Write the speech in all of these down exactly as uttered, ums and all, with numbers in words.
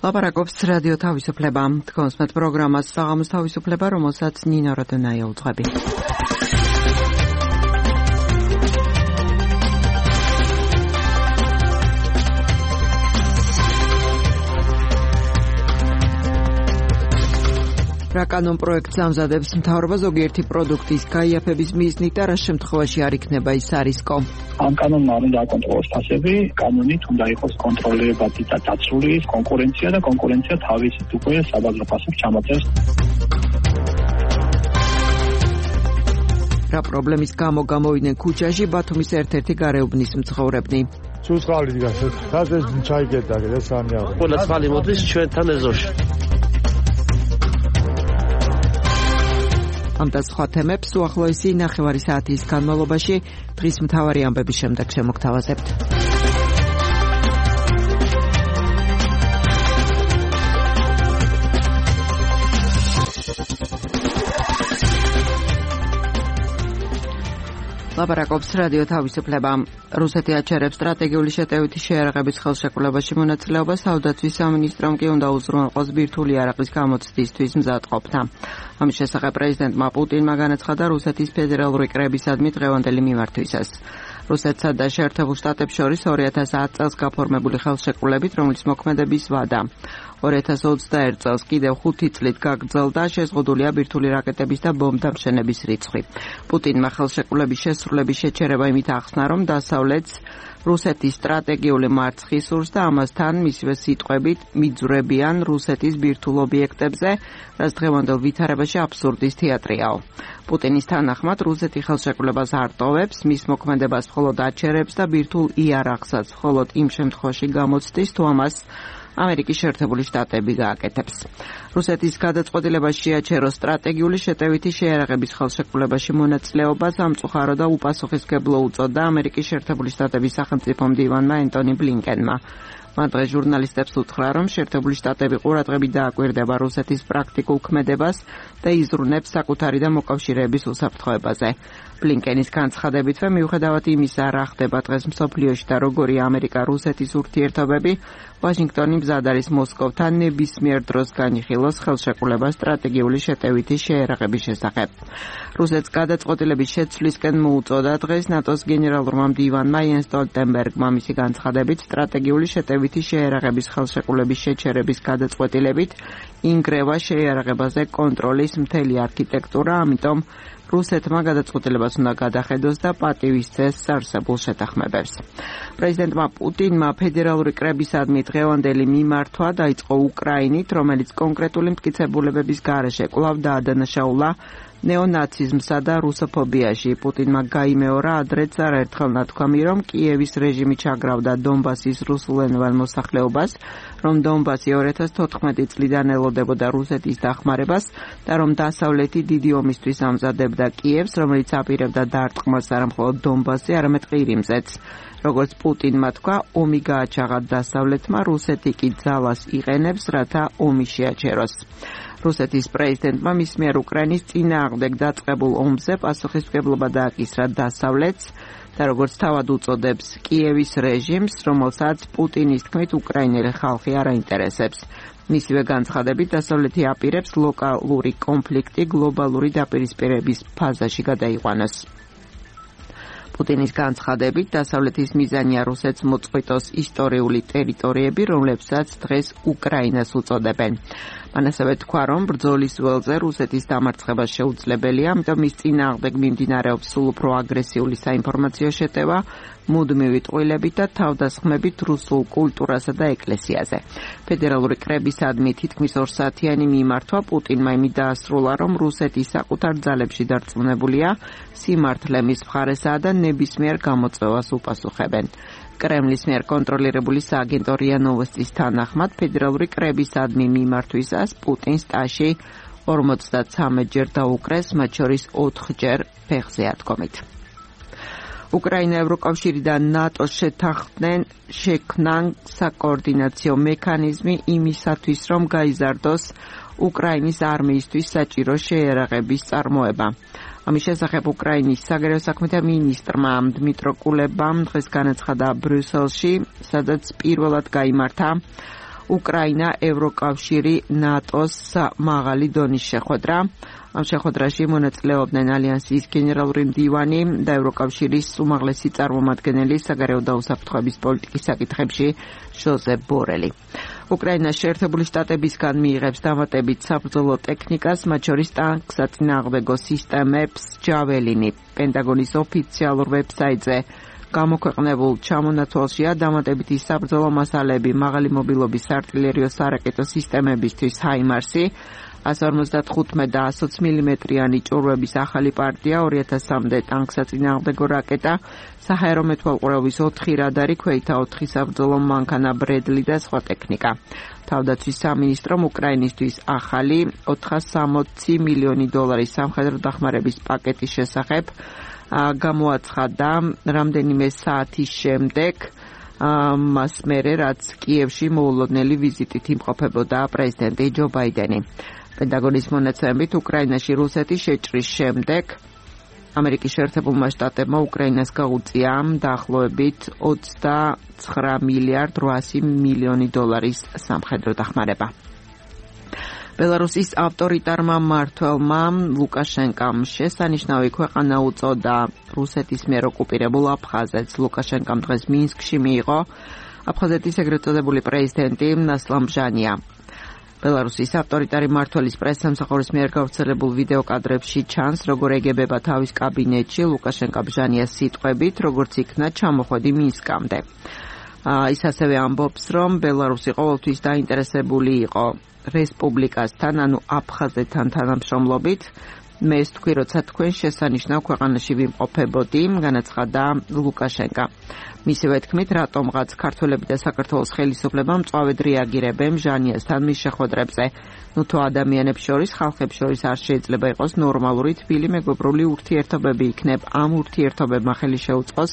ლაპარაკობს რადიო თავისუფლება. თქვენს მეტ პროგრამას საღამოს თავისუფლება, რომელსაც ნინო როდონაია უძღვები. რა კანონ პროექტს ამზადებს მთავრობა ზოგიერთი პროდუქტის გაიაფების მიზნით და რა შემთხვევაში არ იქნება ის არისკო? ამ კანონმა უნდა აკონტროლოს ფასები, კანონით უნდა იყოს კონტროლირებადი და დაცული კონკურენცია და კონკურენცია თავისით უკვე საბაზრო ფასებს ჩამოწევს. რა პრობლემის გამო გამოვიდნენ ქუჩაში ბათუმის ერთ-ერთი გარეუბნის მცხოვრებნი? სულწყალი დგას, ხაზეს ჩაიგედა და სამია. ყველა წყალი მოდის ჩვენთან ეზოში. ამ და სხვა თემებს უახლოესი ნახევარი საათის განმავლობაში დღის მთავარი ამბების შემდეგ შემოგთავაზებთ. ლაპარაკობს რადიო თავისუფლება. რუსეთი აჩერებს სტრატეგიული შეტევითი შეიარაღების ხელშეკრულებაში მონაწილეობას, საუდაცვის სამინისტრომ კი უნდა უზრუნველყოს ბირთვული იარაღის გამოცდისთვის მზადყოფნა. ამის შესახებ პრეზიდენტმა პუტინმა განაცხადა რუსეთის ფედერალური კრებისადმი დღევანდელი მიმართვისას. რუსეთსა და შეერთებულ შტატებს შორის ორი ათას ათ წელს გაფორმებული ხელშეკრულებით, რომლის მოქმედების ვადა ორი ათას ოცდაერთ წელს კიდევ ხუთი წლით გაგრძელდა, შეზღუდულია ბირთვული რაკეტების და ბომბდამშენების რიცხვი. პუტინმა ხელშეკრულების შესრულების შეჩერება იმით ახსნა, რომ დასავლეთს რუსეთის სტრატეგიული მარცხი სურს და ამასთან მისივე სიტყვებით მიძვრებიან რუსეთის ბირთვულ ობიექტებზე, რაც დღევანდელ ვითარებაში აბსურდის თეატრიაო. პუტინის თანახმად რუსეთი ხელშეკრულებას არ ტოვებს, მის მოქმედებას მხოლოდ აჩერებს და ბირთვულ იარაღსაც მხოლოდ იმ შემთხვევაში გამოცდის, თუ ამას ამერიკის შეერთებული შტატები გააკეთებს. რუსეთის გადაწყვეტილება შეაჩეროს სტრატეგიული შეტევითი შეიარაღების ხელშეკრულებაში მონაწილეობა სამწუხარო და უპასუხისმგებლო უწოდა ამერიკის შეერთებული შტატების სახელმწიფო მდივანმა ენტონი ბლინკენმა. მან დღეს ჟურნალისტებს უთხრა, რომ შეერთებული შტატები ყურადღებით დააკვირდება რუსეთის პრაქტიკულ ქმედებას და იზრუნებს საკუთარი და მოკავშირეების უსაფრთხოებაზე. ბლინკენის განცხადებითვე, მიუხედავად იმისა, რა ხდება დღეს მსოფლიოში და როგორია ამერიკა-რუსეთის ურთიერთობები, ვაშინგტონი მზად არის მოსკოვთან ნებისმიერ დროს განიხილოს ხელშეკრულება სტრატეგიული შეტევითი შეიარაღების შესახებ. რუსეთს გადაწყვეტილების შეცვლისკენ მოუწოდა დღეს ნატოს გენერალურმა მდივანმა იენს სტოლტენბერგმა მისი განცხადებით სტრატეგიული შეტევითი შეიარაღების ხელშეკრულების შეჩერების გადაწყვეტილებით ინგრევა შეიარაღებაზე კონტროლის მთელი არქიტექტურა, ამიტომ რუსეთმა გადაწყვეტილებას უნდა გადახედოს და პატივისცეს არსებულ შეთანხმებებს. პრეზიდენტმა პუტინმა ფედერალური კრებისადმი დღევანდელი მიმართვა დაიწყო უკრაინით, რომელიც კონკრეტული მტკიცებულებების გარეშე კვლავ დაადანაშაულა ნეონაციზმსა და რუსოფობიაში. პუტინმა გაიმეორა ადრეც არაერთხელ ნათქვამი, რომ კიევის რეჟიმი ჩაგრავდა დონბასის რუსულენოვან მოსახლეობას, რომ დონბასი ორი ათას თოთხმეტი წლიდან ელოდებოდა რუსეთის დახმარებას და რომ დასავლეთი დიდი ომისთვის ამზადებდა კიევს, რომელიც აპირებდა დარტყმას არა მხოლოდ დონბასზე, არამედ ყირიმზეც. როგორც პუტინმა თქვა, ომი გააჩაღა დასავლეთმა, რუსეთი კი ძალას იყენებს, რათა ომი შეაჩეროს. რუსეთის პრეზიდენტმა მის მიერ უკრაინის წინააღმდეგ დაწყებულ ომზე პასუხისმგებლობა დააკისრა დასავლეთს და როგორც თავად უწოდებს კიევის რეჟიმს, რომელსაც პუტინის თქმით უკრაინელი ხალხი არ აინტერესებს. მისივე განცხადებით დასავლეთი აპირებს ლოკალური კონფლიქტი გლობალური დაპირისპირების ფაზაში გადაიყვანოს. პუტინის განცხადებით დასავლეთის მიზანია რუსეთს მოწყვიტოს ისტორიული ტერიტორიები, რომლებსაც დღეს უკრაინას უწოდებენ. მან ასევე თქვა, რომ ბრძოლის ველზე რუსეთის დამარცხება შეუძლებელია, ამიტომ მის წინააღმდეგ მიმდინარეობს სულ უფრო აგრესიული საინფორმაციო შეტევა, მუდმივი ტყუილებით და თავდასხმებით რუსულ კულტურასა და ეკლესიაზე. ფედერალური კრებისადმი თითქმის ორსაათიანი მიმართვა პუტინმა იმით დაასრულა, რომ რუსეთი საკუთარ ძალებში დარწმუნებულია, სიმართლე მის მხარესაა და ნებისმიერ გამოწვევას უპასუხებენ. კრემლის მიერ კონტროლირებული სააგენტო რია ნოვოსტის თანახმად ფედერალური კრებისადმი მიმართვისას პუტინს ტაში ორმოცდათრამეტჯერ დაუკრეს, მათ შორის ოთხჯერ ფეხზე ათქომით. უკრაინა ევროკავშირი და ნატო შეთანხმდნენ შექმნან საკოორდინაციო მექანიზმი იმისათვის, რომ გაიზარდოს უკრაინის არმიისთვის საჭირო შეიარაღების წარმოება. ამის შესახებ უკრაინის საგარეო საქმეთა მინისტრმა დმიტრო კულებამ დღეს განაცხადა ბრიუსელში, სადაც პირველად გაიმართა უკრაინა, ევროკავშირი, ნატოს მაღალი დონის შეხვედრა. ამ შეხვედრაში მონაწილეობდნენ ალიანსის გენერალური მდივანი და ევროკავშირის უმაღლესი წარმომადგენელი საგარეო დაუსაფრთხოების პოლიტიკის საკითხებში ჟოზეფ ბორელი. უკრაინა შეერთებული შტატებისგან მიიღებს დამატებით საბრძოლო ტექნიკას, მათ შორის ტანკსაწინააღმდეგო სისტემებს ჯაველინი. პენტაგონის ოფიციალურ ვებსაიტზე გამოქვეყნებულ ჩამონათვალშია დამატებითი საბრძოლო მასალები მაღალი მობილობის საარტილერიო სარაკეტო სისტემებისთვის ჰაიმარსი, ას ორმოცდათხუთმეტ და ათი მილიმეტრიანი ჭურვების ახალი პარტია, ორი ათასამდე ტანკსაწინააღმდეგო რაკეტა, საჰაერო მეთვალყურეობის ოთხი რადარი, ქვეითა ოთხი საბრძოლო მანქანა ბრედლი და სხვა ტექნიკა. თავდაცვის სამინისტრომ უკრაინისთვის ახალი ოთხასი სამოცი მილიონი დოლარის სამხედრო დახმარების პაკეტის შესახებ გამოაცხადა რამდენიმე საათის შემდეგ, მას მერე რაც კიევში მოულოდნელი ვიზიტით იმყოფებოდა პრეზიდენტი ჯო ბაიდენი. პენტაგონის მონაცემებით უკრაინაში რუსეთის შეჭრის შემდეგ ამერიკის შეერთებულმა შტატებმა უკრაინას გაუწია დაახლოებით ოცდაცხრა მილიარდ რვაასი მილიონი დოლარის სამხედრო დახმარება. ბელარუსის ავტორიტარმა მმართველმა ლუკაშენკამ შესანიშნავი ქვეყანა უწოდა რუსეთის მიერ ოკუპირებულ აფხაზეთს. ლუკაშენკამ დღეს მინსკში მიიღო აფხაზეთის ეგრეთ წოდებული პრეზიდენტი ნასლან ბჟანია. ბელარუსის ავტორიტარი მმართველის პრესსამსახურის მიერ გავრცელებულ ვიდეო კადრებში ჩანს, როგორ ეგებება თავის კაბინეტში ლუკაშენკა ბჟანიას სიტყვებით, როგორც იქნა ჩამოხვედი მინსკამდე. ის ასევე ამბობს, რომ ბელარუსი ყოველთვის დაინტერესებული იყო რესპუბლიკასთან, ანუ აფხაზეთთან თანამშრომლობით. მე ვთქვი, როცა თქვენ შესანიშნავ ქვეყანაში ვიმყოფებოდი, განაცხადა ლუკაშენკა. მისივე თქმით, რატომღაც ქართველები და საქართველოს ხელისუფლებამ მწვავედ რეაგირებენ ჟანიასთან მის შეხვედრებზე. ნუ თუ ადამიანებს შორის, ხალხებს შორის არ შეიძლება იყოს ნორმალური თბილი მეგობრული ურთიერთობები იქნებ. ამ ურთიერთობებმა ხელი შეუწყოს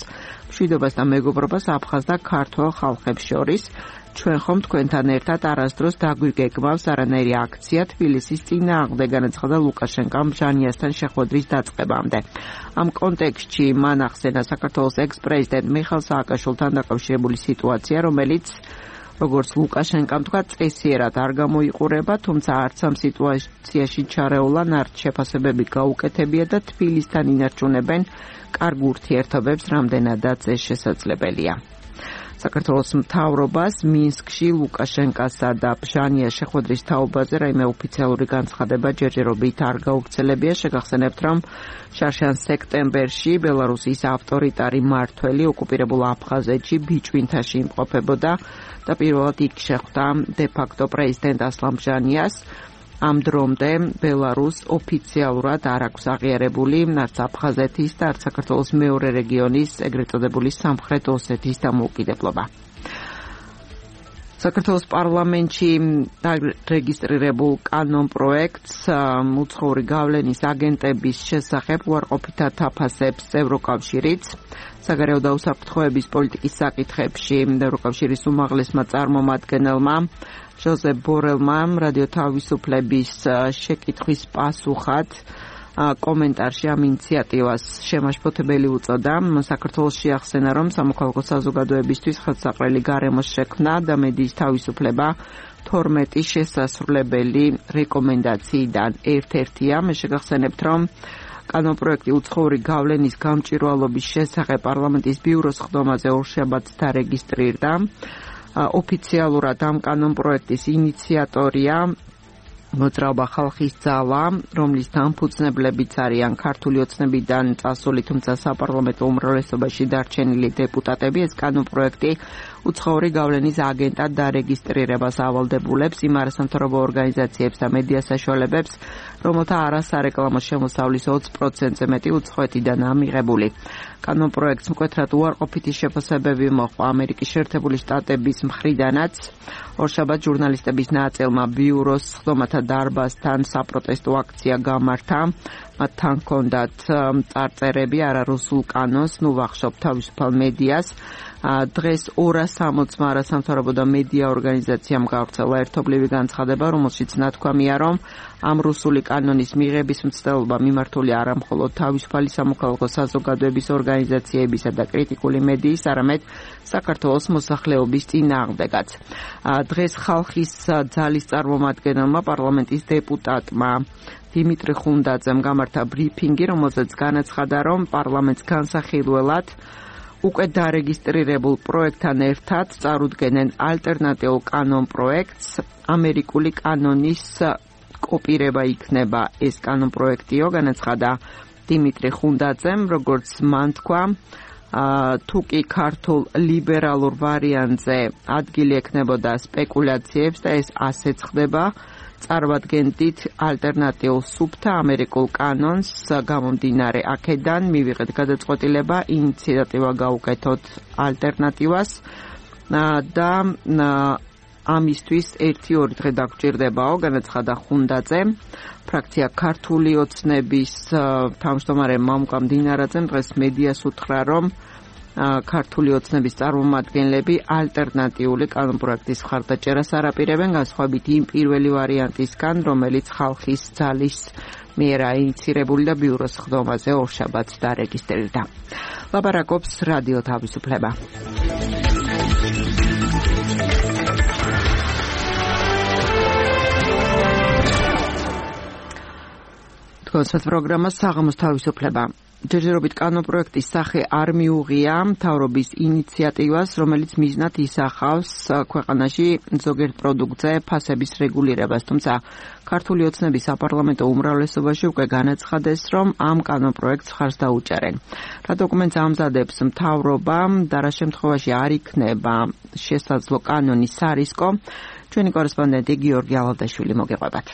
მშვიდობას და მეგობრობას აფხაზ და ქართველ ხალხებს შორის. ჩვენ ხომ თქვენთან ერთად არასდროს დაგვიგეგმავს არანაირი აქცია თბილისის წინააღმდეგ, განაცხადა ლუკაშენკამ ჟანიასთან შეხვედრის დაწყებამდე. ამ კონტექსტში მან ახსენა საქართველოს ექს-პრეზიდენტ მიხეილ სააკაშვილთან დაკავშირებული სიტუაცია, რომელიც როგორც ლუკაშენკამ თქვა, წესიერად არ გამოიყურება, თუმცა არც ამ სიტუაციაში ჩარეულან არც შეფასებები გაუკეთებია და თბილისთან ინარჩუნებენ კარგ ურთიერთობებს, რამდენადაც ეს შესაძლებელია. საქართველოს მთავრობას მინსკში ლუკაშენკასა და ბჟანიას შეხვედრის თაობაზე რაიმე ოფიციალური განცხადება ჯერჯერობით არ გავრცელებია. შეგახსენებთ, რომ შარშან სექტემბერში ბელარუსის ავტორიტარი მმართველი ოკუპირებულ აფხაზეთში ბიჭვინთაში იმყოფებოდა და პირველად იქ შეხვდა დე-ფაქტო პრეზიდენტ ასლან ბჟანიას. ამ დრომდე ბელარუსს ოფიციალურად არ აქვს აღიარებული არც აფხაზეთის და არც საქართველოს მეორე რეგიონის, ეგრეთ წოდებული სამხრეთ ოსეთის დამოუკიდებლობა. საქართველოს პარლამენტში დარეგისტრირებულ კანონ პროექტს უცხოური გავლენის აგენტების შესახებ უარყოფითად აფასებს ევროკავშირიც. საგარეო დაუსაფრთხოების პოლიტიკის საკითხებში ევროკავშირის უმაღლესმა წარმომადგენელმა ჟოზეფ ბორელმა რადიო თავისუფლების შეკითხვის პასუხად კომენტარში ამ ინიციატივას შემაშფოთებელი უწოდა. საქართველოს შეახსენა, რომ სამოქალაქო საზოგადოებისთვის ხელსაყრელი გარემოს შექმნა და მედიის თავისუფლება თორმეტი შესასრულებელი რეკომენდაციიდან ერთ-ერთია. მე შეგახსენებთ, რომ კანონპროექტი უცხოური გავლენის გამჭვირვალობის შესახებ პარლამენტის ბიუროს ხდომაზე ორშაბათს დარეგისტრირდა. ოფიციალურად ამ კანონპროექტის ინიციატორია მოძრაობა ხალხის ძალა, რომლის დამფუძნებლებიც არიან ქართული ოცნებიდან წასული, თუმცა საპარლამენტო უმრავლესობაში დარჩენილი დეპუტატები. ეს კანონპროექტი უცხოური გავლენის აგენტად დარეგისტრირებას ავალდებულებს იმ არასამთავრობო ორგანიზაციებს და მედია საშუალებებს, რომელთა არასარეკლამო შემოსავლის ოცი პროცენტზე მეტი უცხოეთიდანაა მიღებული. კანონპროექტს მკვეთრად უარყოფითი შეფასებები მოჰყვა ამერიკის შეერთებული შტატების მხრიდანაც. ორშაბათს ჟურნალისტების ნაწილმა ბიუროს ხდომათა დარბაზთან საპროტესტო აქცია გამართა. მათთან ჰქონდათ წარწერები არარუსულ კანონს, ნუ ვახშობ თავისუფალ მედიას. დღეს ორას სამოცმა არასამთავრობო და მედია ორგანიზაციამ გავრცელა ერთობლივი განცხადება, რომელშიც ნათქვამია, რომ ამ რუსული კანონის მიღების მცდელობა მიმართული არა მხოლოდ თავისუფალი სამოქალაქო საზოგადოების ორგანიზაციებისა და კრიტიკული მედიის, არამედ საქართველოს მოსახლეობის წინააღმდეგაც. დღეს ხალხის ძალის წარმომადგენელმა პარლამენტის დეპუტატმა დიმიტრი ხუნდაძემ გამართა ბრიფინგი, რომელზეც განაცხადა, რომ პარლამენტს განსახილველად უკვე დარეგისტრირებულ პროექტთან ერთად წარუდგენენ ალტერნატიულ კანონ პროექტს. ამერიკული კანონის კოპირება იქნება ეს კანონ პროექტიო, განაცხადა დიმიტრი ხუნდაძემ, როგორც მან თქვა, თუ კი ქართულ ლიბერალურ ვარიანტზე ადგილი ექნებოდა სპეკულაციებს და ეს ასეც ხდება, წარვადგენდით ალტერნატიულ სუფთა ამერიკულ კანონს, გამომდინარე აქედან მივიღეთ გადაწყვეტილება ინიციატივა გავუკეთოთ ალტერნატივას და ამისთვის ერთი ორი დღე დაგჭირდებაო, განაცხადა ხუნდაძე. ფრაქცია ქართული ოცნების თავმჯდომარე მამუკა მდინარაძემ დღეს მედიას უთხრა, რომ ქართული ოცნების წარმომადგენლები ალტერნატიული კანონპროექტის მხარდაჭერას არაპირებენ, განსხვავებით იმ პირველი ვარიანტისგან, რომელიც ხალხის ძალის მიერ აინიცირებული და ბიუროს ხდომაზე ორშაბათს დარეგისტრირდა. ლაპარაკობს რადიო თავისუფლება. კონცერტ პროგრამა საღამოს თავისუფლება. ჯერჯერობით კანონპროექტის სახე არ მიუღია მთავრობის ინიციატივას, რომელიც მიზნად ისახავს ქვეყანაში ზოგიერთ პროდუქტზე ფასების რეგულირებას, თუმცა ქართული ოცნების საპარლამენტო უმრავლესობაში უკვე განაცხადეს, რომ ამ კანონპროექტს მხარს დაუჭერენ. რა დოკუმენტს ამზადებს მთავრობა და რა შემთხვევაში არ იქნება შესაძლო კანონის სარისკო, ჩვენი კორესპონდენტი გიორგი ალადაშვილი მოგეყვებათ.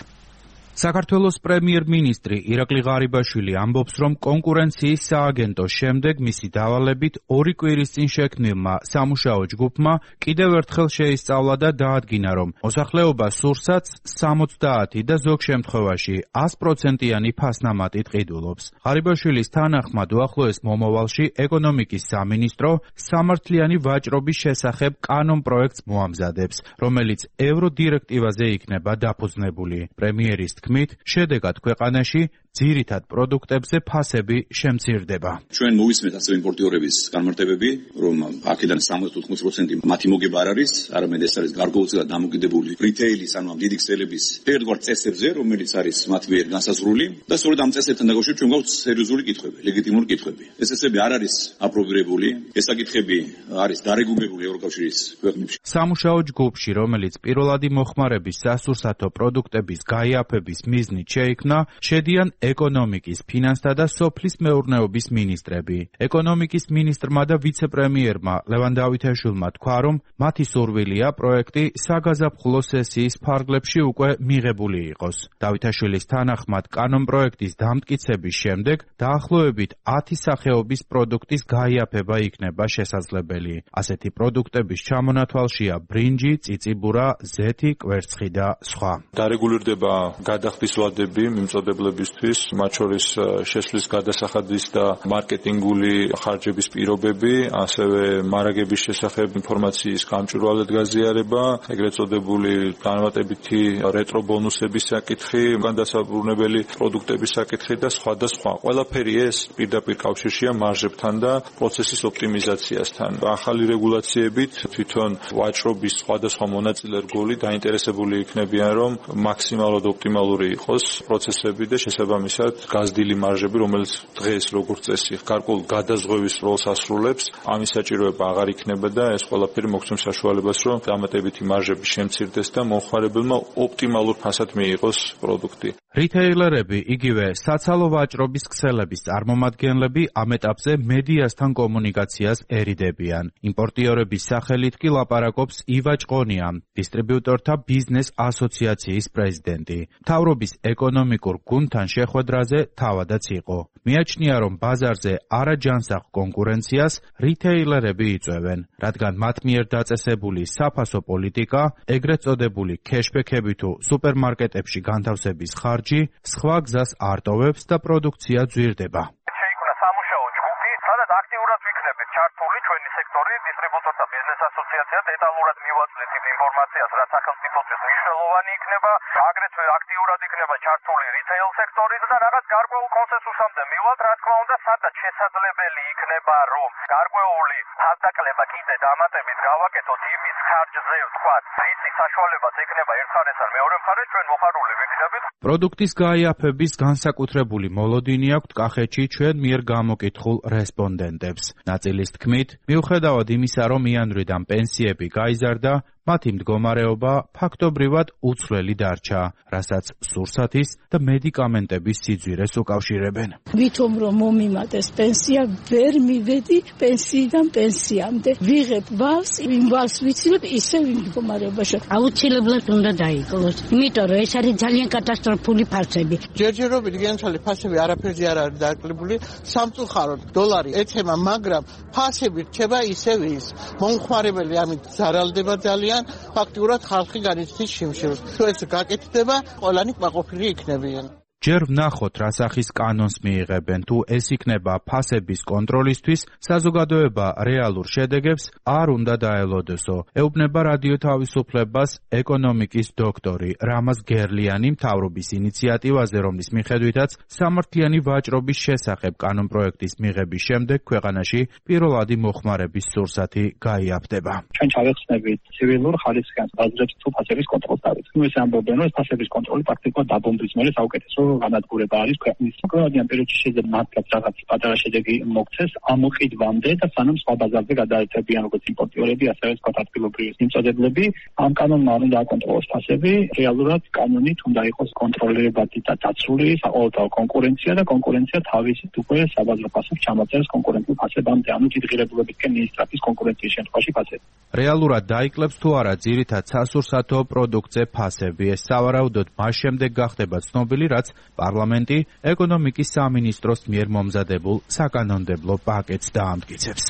საქართველოს პრემიერ-მინისტრი ირაკლი ღარიბაშვილი ამბობს, რომ კონკურენციის სააგენტოს შემდეგ მისი დავალებით ორი კვირის წინ შექმნილმა სამუშაო ჯგუფმა კიდევ ერთხელ შეისწავლა და დაადგინა, რომ მოსახლეობა სურსაც სამოცდაათი და ზოგ შემთხვევაში ას პროცენტიანი ფასნამატით ყიდულობს. ღარიბაშვილის თანახმად უახლოეს მომავალში ეკონომიკის სამინისტრო სამართლიანი ვაჭრობის შესახებ კანონპროექტს მოამზადებს, რომელიც ევროდირექტივაზე იქნება დაფუძნებული. პრემიერის თქმით, შედეგად ქვეყანაში ძირითად პროდუქტებზე ფასები შემცირდება. ჩვენ მოვისმენთ ასევე იმპორტიორების განმარტებები, რომ აქედან სამოცდა ოთხმოცი პროცენტი მათი მოგება არ არის, არამედ ეს არის გარკვეულწილად დამოკიდებული რიტეილის, ანუ დიდი ქსელების ერთგვარ წესებზე, რომელიც არის მათ მიერ განსაზღვრული და სწორედ ამ წესებთან დაკავშირებით ჩვენ გვაქვს სერიოზული კითხვები, ლეგიტიმური კითხვები. ეს წესები არ არის აპრობირებული, ეს საკითხები არის დარეგულირებული ევროკავშირის ქვეყნებში. სამუშაო ჯგუფში, რომელიც პირველადი მოხმარების სასურსათო პროდუქტების გაიაფების მიზნით შეიქმნა, შედიან ეკონომიკის, ფინანსთა და სოფლის მეურნეობის მინისტრები. ეკონომიკის მინისტრმა და ვიცე-პრემიერმა ლევან დავითაშვილმა თქვა, რომ მათი სურვილია პროექტი საგაზაფხულო სესიის ფარგლებში უკვე მიღებული იყოს. დავითაშვილის თანახმად კანონპროექტის დამტკიცების შემდეგ დაახლოებით ათი სახეობის პროდუქტის გაიაფება იქნება შესაძლებელი. ასეთი პროდუქტების ჩამონათვალშია ბრინჯი, წიწიბურა, ზეთი, კვერცხი და სხვა. დარეგულირდება გადახდის ვადები მიმწოდებლებისთვის, მათ შორის შესვლის გადასახადის და მარკეტინგული ხარჯების პირობები, ასევე მარაგების შესახებ ინფორმაციის გამჭვირვალედ გაზიარება, ეგრეთ წოდებული განმარტებითი რეტრო ბონუსების საკითხი, განსაკუთრებული პროდუქტების საკითხი და სხვა და სხვა. ყველაფერი ეს პირდაპირ კავშირშია მარჟებთან და პროცესის ოპტიმიზაციასთან. ახალი რეგულაციებით თვითონ ვაჭრობის სხვადასხვა მონაწილე რგოლი დაინტერესებული იქნებიან, რომ მაქსიმალურად ოპტიმალური იყოს პროცესები და შესაბამისად გაზრდილი მარჟები, რომელიც დღეს როგორც წესი გარკვეულ გადაზღვევის როლს ასრულებს, ამის საჭიროება აღარ იქნება და ეს ყველაფერი მოგცემს საშუალებას, რომ დამატებითი მარჟები შემცირდეს და მომხმარებელმა ოპტიმალურ ფასად მიიღოს პროდუქტი. რიტეილერები, იგივე საცალო ვაჭრობის ქსელების წარმომადგენლები ამ ეტაპზე მედიასთან კომუნიკაციას ერიდებიან. იმპორტიორების სახელით კი ლაპარაკობს ივა ჭყონია, დისტრიბიუტორთა ბიზნეს ასოციაციის პრეზიდენტი. მთავრობის ეკონომიკურ გუნდთან შეხვედრაზე თავადაც იყო. მიაჩნია, რომ ბაზარზე არაჯანსაღ კონკურენციას რიტეილერები იწვევენ, რადგან მათ მიერ დაწესებული საფასო პოლიტიკა, ეგრეთ წოდებული ქეშბექები თუ სუპერმარკეტებში განთავსების ხარჯი სხვა გზას არ ტოვებს და პროდუქცია ძვირდება. შეიქმნა სამუშაო ჯგუფი, სადაც აქტიურად აქტიურად ვიქნებით ჩართული ჩვენი სექტორი დისტრიბუტორთა ბიზნეს ასოციაცია დეტალურად მივაწვდით იმ ინფორმაციას, რაც სახელმწიფოსთვის მნიშვნელოვანი იქნება, აგრეთვე აქტიურად იქნება ჩართული რიტეილ სექტორიც და რაღაც გარკვეულ კონსენსუსამდე მივალთ, რა თქმა უნდა, სადაც შესაძლებელი იქნება, რომ გარკვეული ფასდაკლება კიდე დამატებით გავაკეთოთ იმის ხარჯზე, ვთქვათ, რითი საშუალებაც ექნება ერთ მხარეს ან მეორე მხარეს, ჩვენ მოხარული ვიქნებით. პროდუქტის გაიაფების განსაკუთრებული მოლოდინი აქვთ კახეთში ჩვენ მიერ გამოკითხულ რესპონდენტებს. ნაწილის თქმით, მიუხედავად იმისა, რომ იანვრიდან პენსიები გაიზარდა, მათი მდგომარეობა ფაქტობრივად უცვლელი დარჩა, რასაც სურსათის და მედიკამენტების სიძვირეს უკავშირებენ. ვითომ რომ მომიმატეს პენსია, ვერ მივედი პენსიიდან პენსიამდე. ვიღებ ვალს, იმ ვალს ვიცილებ ისევ იმ მდგომარეობაში. აუცილებლად უნდა დაიკლოს, იმიტომ რომ ეს არის ძალიან კატასტროფული ფასები. ჯერჯერობით განცალი ფასები არაფერზე არ არის დაკლებული, სამწუხაროდ დოლარი ეცემა, მაგრამ ფასები რჩება ისევ ის. მომხმარებელი ამით ზარალდება ძალიან. ფაქტურად ხალხი განიცდის შიმშილს. თუ ეს გაკეთდება, ყველანი კმაყოფილი იქნებიან. ჯერ ვნახოთ, რა სახის კანონს მიიღებენ, თუ ეს იქნება ფასების კონტროლისთვის, საზოგადოება რეალურ შედეგებს არ უნდა დაელოდესო. ეუბნება რადიო თავისუფლებას ეკონომიკის დოქტორი რამაზ გერლიანი მთავრობის ინიციატივაზე, რომლის მიხედვითაც სამართლიანი ვაჭრობის შესახებ კანონპროექტის მიღების შემდეგ ქვეყანაში პირველადი მოხმარების სურსათი გაიაფდება. ჩვენ ჩავეხსნებით ცივილურ ხარისხიან ბაზრებს თუ ფასების კონტროლს დავით. ეს ამბობენ, რომ ფასების კონტროლი პრაქტიკულად დაბომბვის მერე საუკეთესო განადგურება არის ქვეყნის. ქვეყნიდან პერიოდში შეიძლება მართლაც რაღაც პატარა შედეგი მოგცეს ამ ყიდვამდე და სანამ სხვა ბაზარზე გადაეცებიან როგორც იმპორტიორები, ასევე სხვა ადგილობრივი მიმწოდებლები. ამ კანონმა უნდა აკონტროლოს ფასები, რეალურად კანონით უნდა იყოს კონტროლირებადი და დაცული საყოველთაო კონკურენცია და კონკურენცია თავისით უკვე საბაზრო ფასებს ჩამოწერს კონკურენტულ ფასებამდე, ანუ დიდღირებულებისკენ მიისწრაფის კონკურენციის შემთხვევაში ფასები. რეალურად დაიკლებს თუ არა ძირითად სასურსათო პროდუქტზე ფასები. ეს სავარაუდოდ მას შემდეგ გახდება ცნობილი, რაც პარლამენტი ეკონომიკის სამინისტროს მიერ მომზადებულ საკანონმდებლო პაკეტს დაამტკიცებს.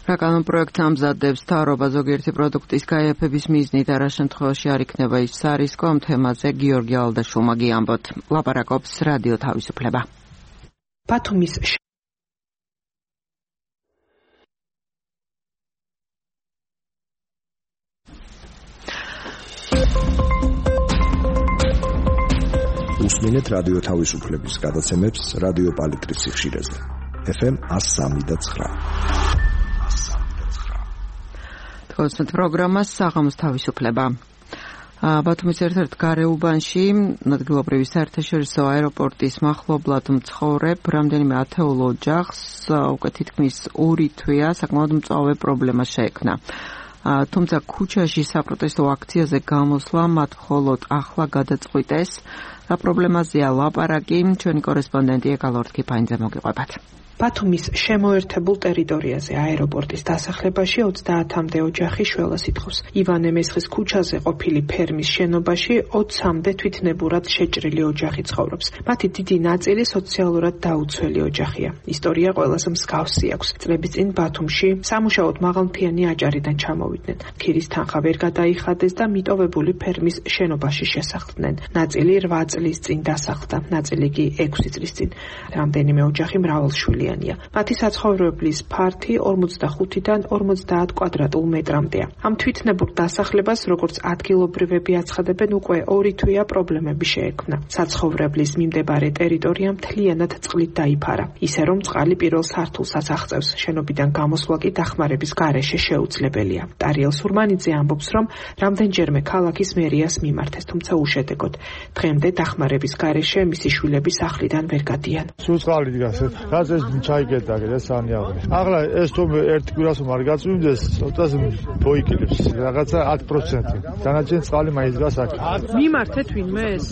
რა კანონპროექტს ამზადებს მთავრობა ზოგიერთი პროდუქტის გაიაფების მიზნით და რა შემთხვევაში არ იქნება ის სარისკო, ამ თემაზე გიორგი ალდაშულმა გიამბოთ. ლაპარაკობს რადიო თავისუფლება. ბათუმის უსმინეთ რადიო თავისუფლების გადაცემებს რადიო პალიტრის სიხშირეზე. ეფ ემ one oh three point nine. თქვენს პროგრამას საღამოს თავისუფლება. ბათუმის ერთ-ერთ გარეუბანში ადგილობრივი საერთაშორისო აეროპორტის მახლობლად მცხოვრებ რამდენიმე ათეულ ოჯახს უკვე თითქმის ორი თვეა საკმაოდ მწვავე პრობლემა შეექმნა. თუმცა ქუჩაში საპროტესტო აქციაზე გამოსვლა მათ მხოლოდ ახლა გადაწყვიტეს. რა პრობლემაზეა ლაპარაკი, ჩვენი კორესპონდენტი ეკალორთ კიფაინძე მოგიყვებათ. ბათუმის შემოერთებულ ტერიტორიაზე აეროპორტის დასახლებაში ოცდაათამდე ოჯახი შველას ითხოვს. ივანე მესხის ქუჩაზე ყოფილი ფერმის შენობაში ოცამდე თვითნებურად შეჭრილი ოჯახი ცხოვრობს. მათი დიდი ნაწილი სოციალურად დაუცველი ოჯახია. ისტორია ყველას მსგავსი აქვს. წლების წინ ბათუმში სამუშაოდ მაღალმთიანი აჭარიდან ჩამოვიდნენ. ქირის თანხა ვერ გადაიხადეს და მიტოვებული ფერმის შენობაში შესახლდნენ. ნაწილი რვა წლის წინ დასახლდა, ნაწილი კი ექვსი წლის წინ. რამდენიმე ოჯახი მრავალშვილია. მათი საცხოვრებლის ფართი ორმოცდახუთიდან ორმოცდაათ კვადრატულ მეტრამდეა. ამ თვითნებურ დასახლებას, როგორც ადგილობრივები აცხადებენ, უკვე ორი თვეა პრობლემები შეექმნა. საცხოვრებლის მიმდებარე ტერიტორია მთლიანად წყლით დაიფარა, ისე რომ წყალი პირველ სართულსაც აღწევს. შენობიდან გამოსვლა კი დახმარების გარეშე შეუძლებელია. ტარიელ სურმანიძე ამბობს, რომ რამდენჯერმე ქალაქის მერიას მიმართეს, თუმცა უშედეგოდ. დღემდე დახმარების გარეშე მისი შვილები სახლიდან ვერ გადიან. სულ წყალი დგას, რაც ჩაიგედა ესანიაღი. ახლა ეს თუ ერთი კვირას არ გაწვიმდეს, ცოტას მოიკიდებს რაღაცა ათი პროცენტი. დანარჩენი წყალი მაინც დგას აქ. მიმართეთ ვინმე ეს?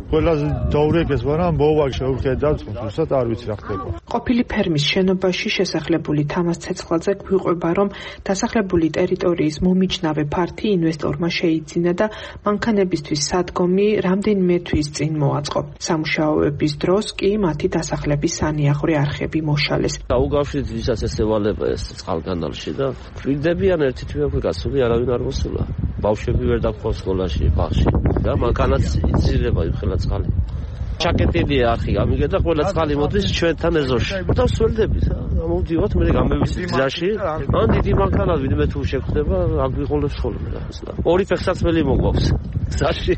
ყველაზე დაურეკეს, მაგრამ მოვაგ შევხედავთ, თუმცა არ ვიცი რა ხდება. ყოფილი ფერმის შენობაში შესახლებული თამას ცეცხლაძე გვიყვება, რომ დასახლებული ტერიტორიის მომიჯნავე ფართი ინვესტორმა შეიძინა და მანქანებისთვის სადგომი რამდენიმე თვის წინ მოაწყო. სამუშაოების დროს კი მათი დასახლების სანიაღვრე არხები მოშალეს. გაუგავშით ვისაც ესევალება ეს წყალგანალში და ფრიდებიან ერთი თვე უკვე გასული, არავინ არ მოსულა. ბავშვები ვერ დაგხვდა სკოლაში, ბაღში და მანქანაც იცილება იმხელა წყალი. ჩაკეტილია არხი, ამიგე და ყველა წყალი მოდის ჩვენთან ეზოში. და სველდებით, მოვდივართ მე გამევიცი გზაში ან დიდი მანქანას ვიდმე თუ შეხვდება აგვიყოლებს ხოლმე რა ორი ფეხსაცმელი მოგვაქვს გზაში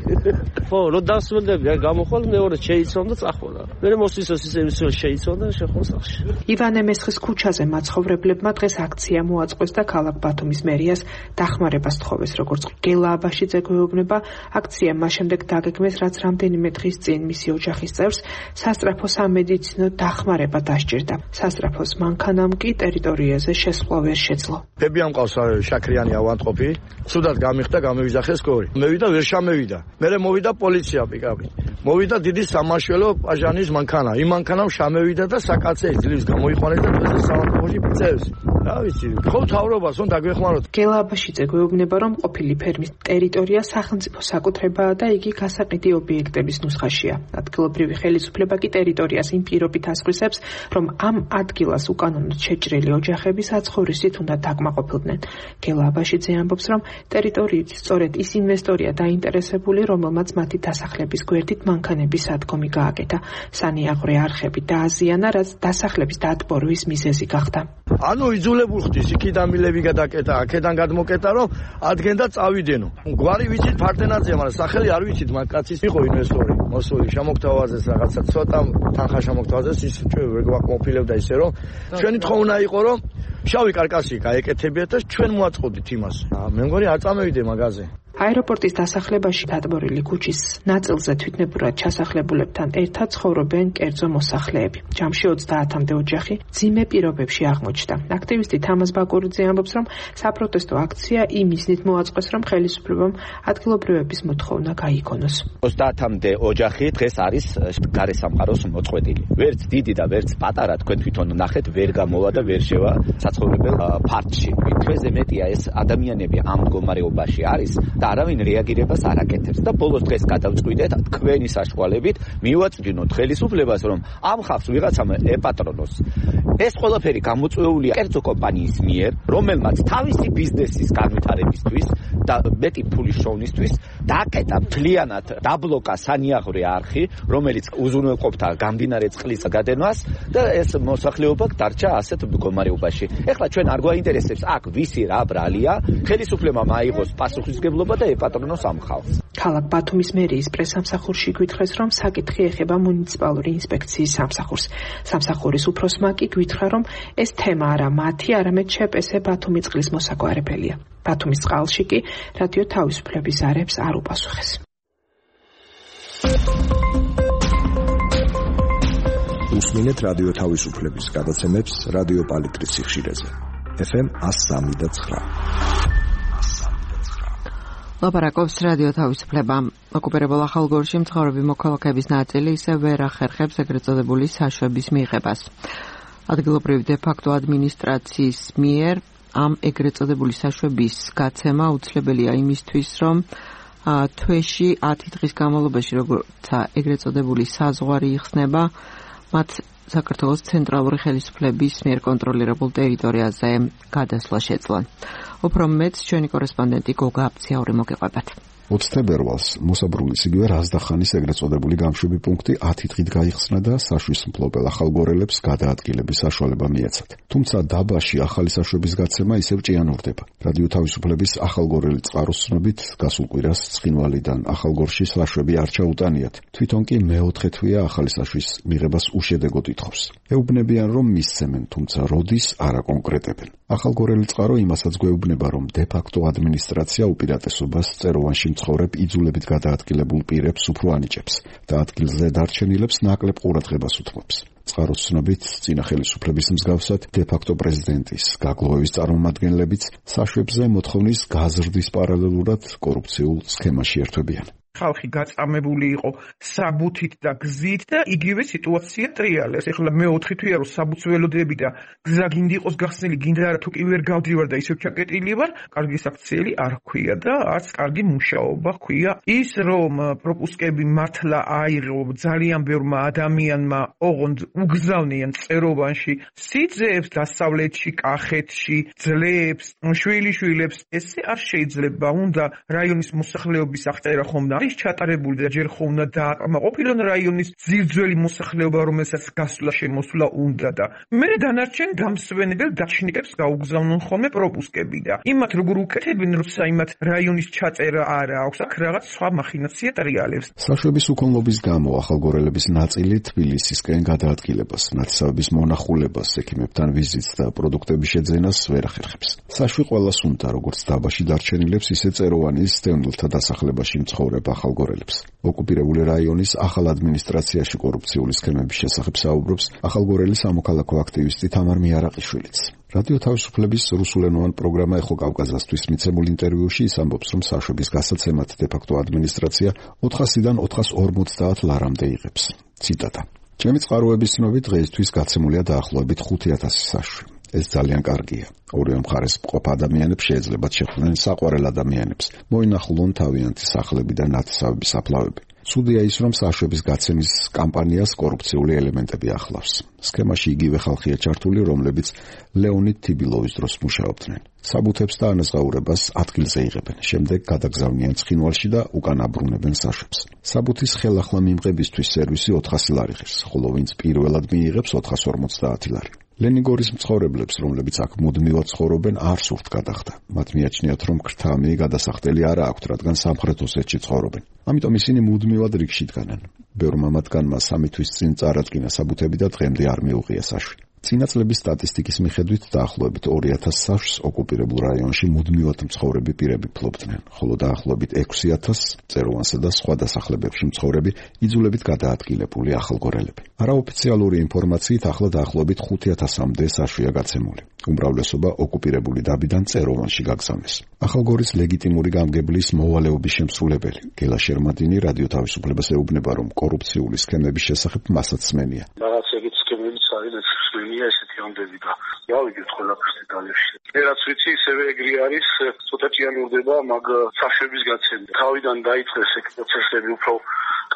ხო რო დასმენდები აი გამოხვალ მეორე შეიცვალ და წახვალ მე მოსისოს ისე ისე შეიცვალ და შეხვალ სახში ივანე მესხის ქუჩაზე მაცხოვრებლებმა დღეს აქცია მოაწყვეს და ქალაქ ბათუმის მერიას დახმარებას თხოვეს როგორც გელა აბაშიძე გვეუბნება აქცია მას შემდეგ დაგეგმეს რაც რამდენიმე დღის წინ მისი ოჯახის წევრს სასწრაფო სამედიცინო დახმარება დასჭირდა სასწრაფოს მანქანამ კი ტერიტორიაზე შესვლა ვერ შეძლო ბებიამ ყავს შაქრიანი ავანტყოფი ცუდად გამიხდა გამევიძახეს გორი მევიდა ვერ შამევიდა მერე მოვიდა პოლიცია პიკაპი მოვიდა დიდი სამაშველო პაჟანის მანქანა იმ მანქანამ შამევიდა და საკაცე ძლივს გამოიყვანეს და დღეს სამართლოში წევს რა ვიცი ხო თავრობას უნდა დაგვეხმაროთ გელა აბაშიძე გვეუბნება რომ ყოფილი ფერმის ტერიტორია სახელმწიფო საკუთრებაა და იგი გასაყიდი ობიექტების ნუსხაშია ადგილობრივი ხელისუფლება კი ტერიტორიას იმ პირობით ასხვისებს რომ ამ ადგილას უკანონოდ შეჭრილი ოჯახები საცხოვრისით უნდა დაკმაყოფილდნენ გელა აბაშიძე ამბობს რომ ტერიტორიით სწორედ ის ინვესტორია დაინტერესებული რომელმაც მათი დასახლების გვერდით მანქანების სადგომი გააკეთა სანიაღვრე არხები დააზიანა რაც დასახლების დატბორვის მიზეზი გახდა ანუ იძულებულ ხდის იქიდან მილები გადაკეტა აქედან გადმოკეტა რომ ადგენ და წავიდენო გვარი ვიცით ფარდენაძეა მაგრამ სახელი არ ვიცით მაგ კაცის იყო ინვესტორი მოსული შემოგთავაზეს რაღაცა ცოტა თანხა შემოგთავაზეს ის ჩვენ ვაკმოფილებდა ისე რომ ჩვენი თქო უნდა იყო რომ შავი კარკასი გაეკეთებიათ და ჩვენ მოაწყობდით იმას მე მგონი არ წამევიდე მაგაზე აეროპორტის დასახლებაში დატბორილი ქუჩის ნაწილზე თვითნებურად ჩასახლებულებთან ერთად ცხოვრობენ კერძო მოსახლეები. ჯამში ოცდაათამდე ოჯახი ძიმე პირობებში აღმოჩნდა. აქტივისტი თამაზ ბაკურიძე ამბობს, რომ საპროტესტო აქცია იმ მიზნით მოაწყვეს, რომ ხელისუფლებამ ადგილობრივების მოთხოვნა გაიგონოს. ოცდაათამდე ოჯახი დღეს არის გარესამყაროს მოწყვეტილი. ვერც დიდი და ვერც პატარა თქვენ თვითონ ნახეთ, ვერ გამოვა და ვერ შევა საცხოვრებელ ფარდში. თვეზე მეტია ეს ადამიანები ამ მდგომარეობაში არის და არავინ რეაგირებას არ აკეთებს და ბოლოს დღეს გადავწყვიტეთ თქვენი საშუალებით მივაწვდინოთ ხელისუფლებას რომ ამ ხალხს ვიღაცამ ეპატრონოს ეს ყველაფერი გამოწვეულია კერძო კომპანიის მიერ რომელმაც თავისი ბიზნესის განვითარებისთვის და მეტი ფულის შოვნისთვის დააკეტა მთლიანად დაბლოკა სანიაღვრე არხი რომელიც უზრუნველყოფდა გამდინარე წყლის გადენვას და ეს მოსახლეობა დარჩა ასეთ მდგომარეობაში ეხლა ჩვენ არ გვაინტერესებს აქ ვისი რა ბრალია ხელისუფლებამ აიღოს პასუხისმგებლობა და ეპატრონოს ამ ხალხს. ქალაქ ბათუმის მერიის პრესამსახურში გვითხრეს, რომ საკითხი ეხება მუნიციპალური ინსპექციის სამსახურს. სამსახურის უფროსმა კი გვითხრა, რომ ეს თემა არა მათი, არამედ შეპესე ბათუმის წყლის მოსაგვარებელია. ბათუმის წყალში კი რადიო თავისუფლების ზარებს არ უპასუხეს. უსმინეთ რადიო თავისუფლების გადაცემებს რადიო პალიტრის სიხშირეზე. ეფ ემ one oh three point nine ლაპარაკობს რადიო თავისუფლება. ოკუპირებულ ახალგორში მცხოვრები მოქალაქეების ნაწილი ისე ვერ ახერხებს ეგრეთ წოდებული საშვების მიღებას. ადგილობრივი დე-ფაქტო ადმინისტრაციის მიერ ამ ეგრეთ წოდებული საშვების გაცემა უცლებელია იმისთვის, რომ თვეში ათი დღის განმავლობაში, როცა ეგრეთ წოდებული საზღვარი იხსნება, მათ საქართველოს ცენტრალური ხელისუფლების მიერ კონტროლირებულ ტერიტორიაზე გადასვლა შეძლონ. უფრო მეც ჩვენი კორესპონდენტი გოგა აფციაური მოგეყვებათ. ოცი თებერვალს მოსაბრულის იგივე რაზდახანის ეგრეთ წოდებული გამშვები პუნქტი ათი დღით გაიხსნა და საშვის მფლობელ ახალგორელებს გადაადგილების საშუალება მიეცათ. თუმცა დაბაში ახალი საშვების გაცემა ისევ ჭიანურდება. რადიო თავისუფლების ახალგორელი წყაროს ცნობით გასულ კვირას ცხინვალიდან ახალგორში საშვები არ ჩაუტანიათ. თვითონ კი მეოთხე თვეა ახალი საშვის მიღებას უშედეგოდ ითხოვს. ეუბნებიან რომ მისცემენ, თუმცა როდის არ აკონკრეტებენ. ახალგორელი წყარო იმასაც გვეუბნება, რომ დე-ფაქტო ადმინისტრაცია უპირატესობას წეროვანში მცხოვრებ იძულებით გადაადგილებულ პირებს უფრო ანიჭებს და ადგილზე დარჩენილებს ნაკლებ ყურადღებას უთმობს. წყაროს ცნობით, წინა ხელისუფლების მსგავსად დე-ფაქტო პრეზიდენტის გაგლოევის წარმომადგენლებიც საშვებზე მოთხოვნის გაზრდის პარალელურად კორუფციულ სქემაში ერთვებიან. ხალხი გაწამებული იყო საბუთით და გზით და იგივე სიტუაცია ტრიალებს. ეხლა მეოთხე თვეა რომ საბუთს ველოდები და გზა გინდა იყოს გახსნილი, გინდა არა თუ კი ვერ გავდივარ და ისევ ჩაკეტილი ვარ, კარგი საქციელი არ ჰქვია და არც კარგი მუშაობა ჰქვია. ის რომ პროპუსკები მართლა აიღო ძალიან ბევრმა ადამიანმა, ოღონდ უგზავნიან წეროვანში სიძეებს, დასავლეთში, კახეთში, ძლებს, შვილიშვილებს, ესე არ შეიძლება. უნდა რაიონის მოსახლეობის აღწერა ხომ და არის ჩატარებული და ჯერ ხო უნდა დააკმაყოფილონ რაიონის ძირძველი მოსახლეობა, რომელსაც გასვლა შემოსვლა უნდა და მე დანარჩენ გამსვენებელ დაჩნიკებს გაუგზავნონ ხოლმე პროპუსკები და იმათ როგორ უკეთებენ, როცა იმათ რაიონის ჩაწერა არა აქვს, აქ რაღაც სხვა მახინაცია ტრიალებს. საშვების უქონლობის გამო ახალგორელების ნაწილი თბილისისკენ გადაადგილებას, ნათესავების მონახულებას, ექიმებთან ვიზიტს და პროდუქტების შეძენას ვერ ახერხებს. საშვი ყველას უნდა, როგორც დაბაში დარჩენილებს, ისე წეროვანის დევნილთა დასახლებაში მცხოვრებ ახალგორელებს. ოკუპირებული რაიონის ახალ ადმინისტრაციაში კორუფციული სქემების შესახებ საუბრობს ახალგორელი სამოქალაქო აქტივისტი თამარ მიარაყიშვილიც. რადიო თავისუფლების რუსულენოვან პროგრამა ეხო კავკაზასთვის მიცემულ ინტერვიუში ის ამბობს, რომ საშვების გასაცემად დე-ფაქტო ადმინისტრაცია ოთხასიდან ოთხას ორმოცდაათ ლარამდე იღებს. ციტატა: ჩემი წყაროების ცნობით დღეისთვის გაცემულია დაახლოებით ხუთი ათასი საშვი. ეს ძალიან კარგია. ორივე მხარეს მყოფ ადამიანებს შეეძლებათ შეხვდნენ საყვარელ ადამიანებს, მოინახულონ თავიანთი სახლები და ნათესავების საფლავები. ცუდია ის, რომ საშვების გაცემის კამპანიას კორუფციული ელემენტები ახლავს. სქემაში იგივე ხალხია ჩართული, რომლებიც ლეონიდ თიბილოვის დროს მუშაობდნენ. საბუთებს და ანაზღაურებას ადგილზე იღებენ, შემდეგ გადაგზავნიან ცხინვალში და უკან აბრუნებენ საშვებს. საბუთის ხელახლა მიმღებისთვის სერვისი ოთხასი ლარი ღირს, ხოლო ვინც პირველად მიიღებს ოთხას ორმოცდაათი ლარი. ლენიგორის მცხოვრებლებს, რომლებიც აქ მუდმივად ცხოვრობენ, არ სურთ გადახდა. მათ მიაჩნიათ, რომ ქრთამი გადასახდელი არა აქვთ, რადგან სამხრეთ ოსეთში ცხოვრობენ. ამიტომ ისინი მუდმივად რიგში დგანან. ბევრმა მათგანმა სამი თვის წინ წარადგინა საბუთები და დღემდე არ მიუღია საშვი. წინა წლების სტატისტიკის მიხედვით დაახლოებით ორი ათასი საშვს ოკუპირებულ რაიონში მუდმივად მცხოვრები პირები ფლობდნენ, ხოლო დაახლოებით ექვსი ათასს წეროვანსა და სხვა დასახლებებში მცხოვრები იძულებით გადაადგილებული ახალგორელები. არაოფიციალური ინფორმაციით ახლა დაახლოებით ხუთი ათასამდე საშვია გაცემული. უმრავლესობა ოკუპირებული დაბიდან წეროვანში გაგზავნეს. ახალგორის ლეგიტიმური გამგებლის მოვალეობის შემსრულებელი გელა შერმადინი რადიო თავისუფლებას ეუბნება, რომ კორუფციული სქემების შესახებ მასაც სმენია. რაღაც ეგეთ სქემებიც არის სმენია ესეთი ამდები და გავიგეთ ყველაფერს დეტალებში. მე რაც ვიცი, ისევე ეგრე არის, ცოტა ჭიანურდება მაგ საშვების გაცემა. თავიდან დაიწყეს ეგ პროცესები უფრო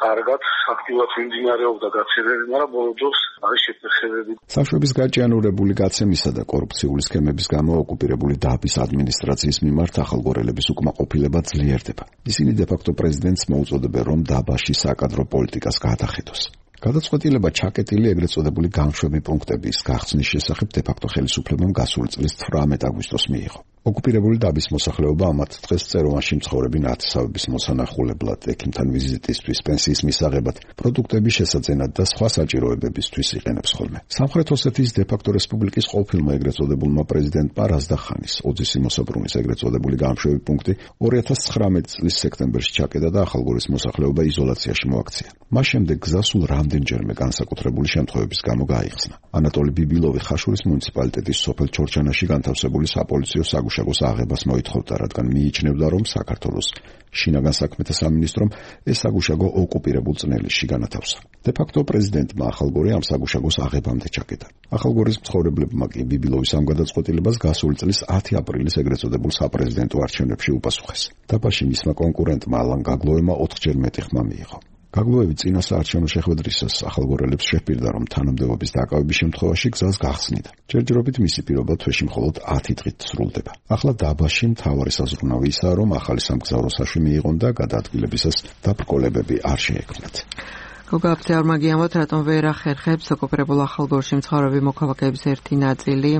კარგად, აქტიურად მიმდინარეობდა გაცემები, მაგრამ ბოლო დროს არის შეფერხებები. საშვების გაჭიანურებული გაცემისა და კორუფციული სქემების გამო ოკუპირებული დაბის ადმინისტრაციის მიმართ ახალგორელების უკმაყოფილება ძლიერდება. ისინი დე-ფაქტო პრეზიდენტს მოუწოდებენ, რომ დაბაში საკადრო პოლიტიკას გაატახეთოს. გადაწყვეტილება ჩაკეტილი ეგრეთ წოდებული განშვები პუნქტების გახსნის შესახებ დე-ფაქტო ხელისუფლებამ გასული წლის თვრამეტ აგვისტოს მიიღო. ოკუპირებული დაბის მოსახლეობა ამათ დღეს წეროვანში მცხოვრები ნათესავების მოსანახულებლად, ექიმთან ვიზიტისთვის, პენსიის მისაღებად, პროდუქტების შესაძენად და სხვა საჭიროებებისთვის იყენებს ხოლმე. სამხრეთ ოსეთის დე-ფაქტო რესპუბლიკის ყოფილმა ეგრეთ წოდებულმა პრეზიდენტმა რაზდახანის ოძისი მოსაბრუნის ეგრეთ წოდებული განშვები პუნქტი ორი ათას ცხრამეტი წლის სექტემბერში ჩაკეტა და ახალგორის მოსახლეობა იზოლაციაში მოაქცია. მას შემდეგ გზა სულ რამდენჯერმე განსაკუთრებული შემთხვევების გამო გაიხსნა. ანატოლი ბიბილოვი ხაშურის მუნიციპალიტეტის სოფელ ჩორჩანაში განთავსებული საპოლიციო საგუშაგოს აღებას მოითხოვდა, რადგან მიიჩნევდა, რომ საქართველოს შინაგან საქმეთა სამინისტრომ ეს საგუშაგო ოკუპირებულ წნელისში განათავსა. დე-ფაქტო პრეზიდენტმა ახალგორი ამ საგუშაგოს აღებამდე ჩაკეტა. ახალგორის მცხოვრებლებმა კი ბიბილოვის ამ გადაწყვეტილებას გასული წლის ათი აპრილის ეგრეთ წოდებულ საპრეზიდენტო არჩევნებში უპასუხეს. დაბაში მისმა კონკურენტმა ალან გაგლოემა ოთხჯერ მეტი ხმა მიიღო. გაგლოევი წინა საარჩევნო შეხვედრისას ახალგორელებს შეჰპირდა, რომ თანამდებობის დაკავების შემთხვევაში გზას გახსნიდა. ჯერჯერობით მისი პირობა თვეში მხოლოდ ათი დღით სრულდება. ახლა დაბაში მთავარი საზრუნავი ისაა, რომ ახალი სამგზავრო საშვი მიიღონ და გადაადგილებისას დაბრკოლებები არ შეექმნათ. გოგაფცე არ მაგიამოთ, რატომ ვერ ახერხებს ოკუპირებულ ახალგორში მცხოვრები მოქალაქეების ერთი ნაწილი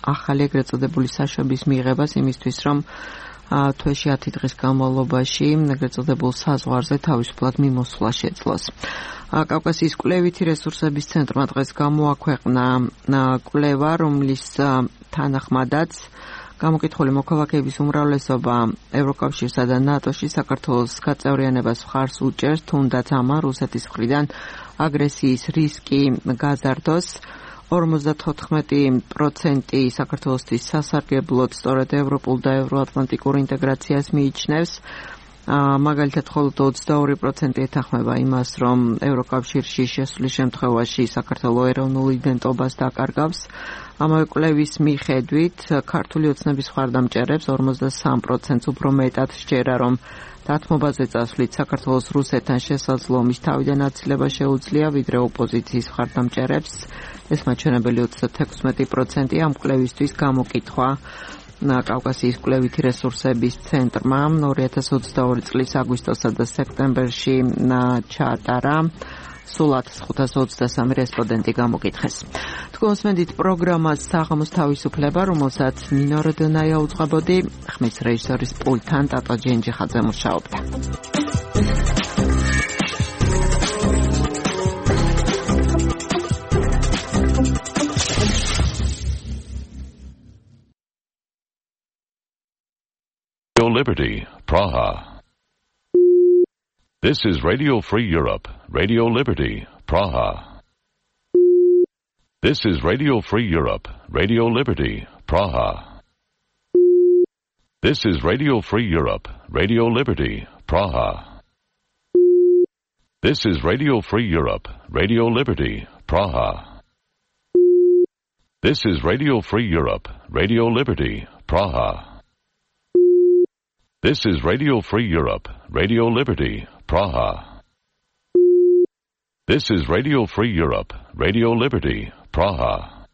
ახალი ეგრეთ წოდებული საშვების მიღებას იმისთვის, რომ თვეში ათი დღის განმავლობაში ეგრეთ წოდებულ საზღვარზე თავისუფლად მიმოსვლა შეძლოს. კავკასიის კვლევითი რესურსების ცენტრმა დღეს გამოაქვეყნა კვლევა, რომლის თანახმადაც გამოკითხული მოქალაქეების უმრავლესობა ევროკავშირსა და ნატოში საქართველოს გაწევრიანებას მხარს უჭერს, თუნდაც ამან რუსეთის მხრიდან აგრესიის რისკი გაზარდოს. ორმოცდათოთხმეტი პროცენტი საქართველოსთვის სასარგებლოდ სწორედ ევროპულ და ევროატლანტიკურ ინტეგრაციას მიიჩნევს. მაგალითად, მხოლოდ ოცდაორი პროცენტი ეთანხმება იმას, რომ ევროკავშირში შესვლის შემთხვევაში საქართველოს ეროვნულ იდენტობას დაკარგავს. ამავე კვლევის მიხედვით, ქართული ოცნების მხარდამჭერებს ორმოცდასამ პროცენტს უფრო მეტად სჯერა, რომ დათმობაზე წასვლით საქართველოს რუსეთთან შესაძლომის თავიდან აცილება შეუძლია, ვიდრე ოპოზიციის მხარდამჭერებს. ეს მაჩვენებელი ოცდათექვსმეტი პროცენტი ამ კვლევისთვის გამოკითხვა კავკასიის კვლევითი რესურსების ცენტრმა ორი ათას ოცდაორი წლის აგვისტოსა და სექტემბერში ჩაატარა სულ ათას ხუთას ოცდასამი რესპონდენტი გამოკითხეს. თქვენს მედით პროგრამას საღამოს თავისუფლება, რომელსაც ნინო როდონაია უძღვებოდი, ხმის რეჟისორის პულტთან ტატო ჯენჯიხაძე მუშაობდა. Liberty, Praha. This is Radio Free Europe, Radio Liberty, Praha. This is Radio Free Europe, Radio Liberty, Praha. This is Radio Free Europe, Radio Liberty, Praha. This is Radio Free Europe, Radio Liberty, Praha. This is Radio Free Europe, Radio Liberty, Praha. This is Radio Free Europe, Radio Liberty, Praha. This is Radio Free Europe, Radio Liberty, Praha.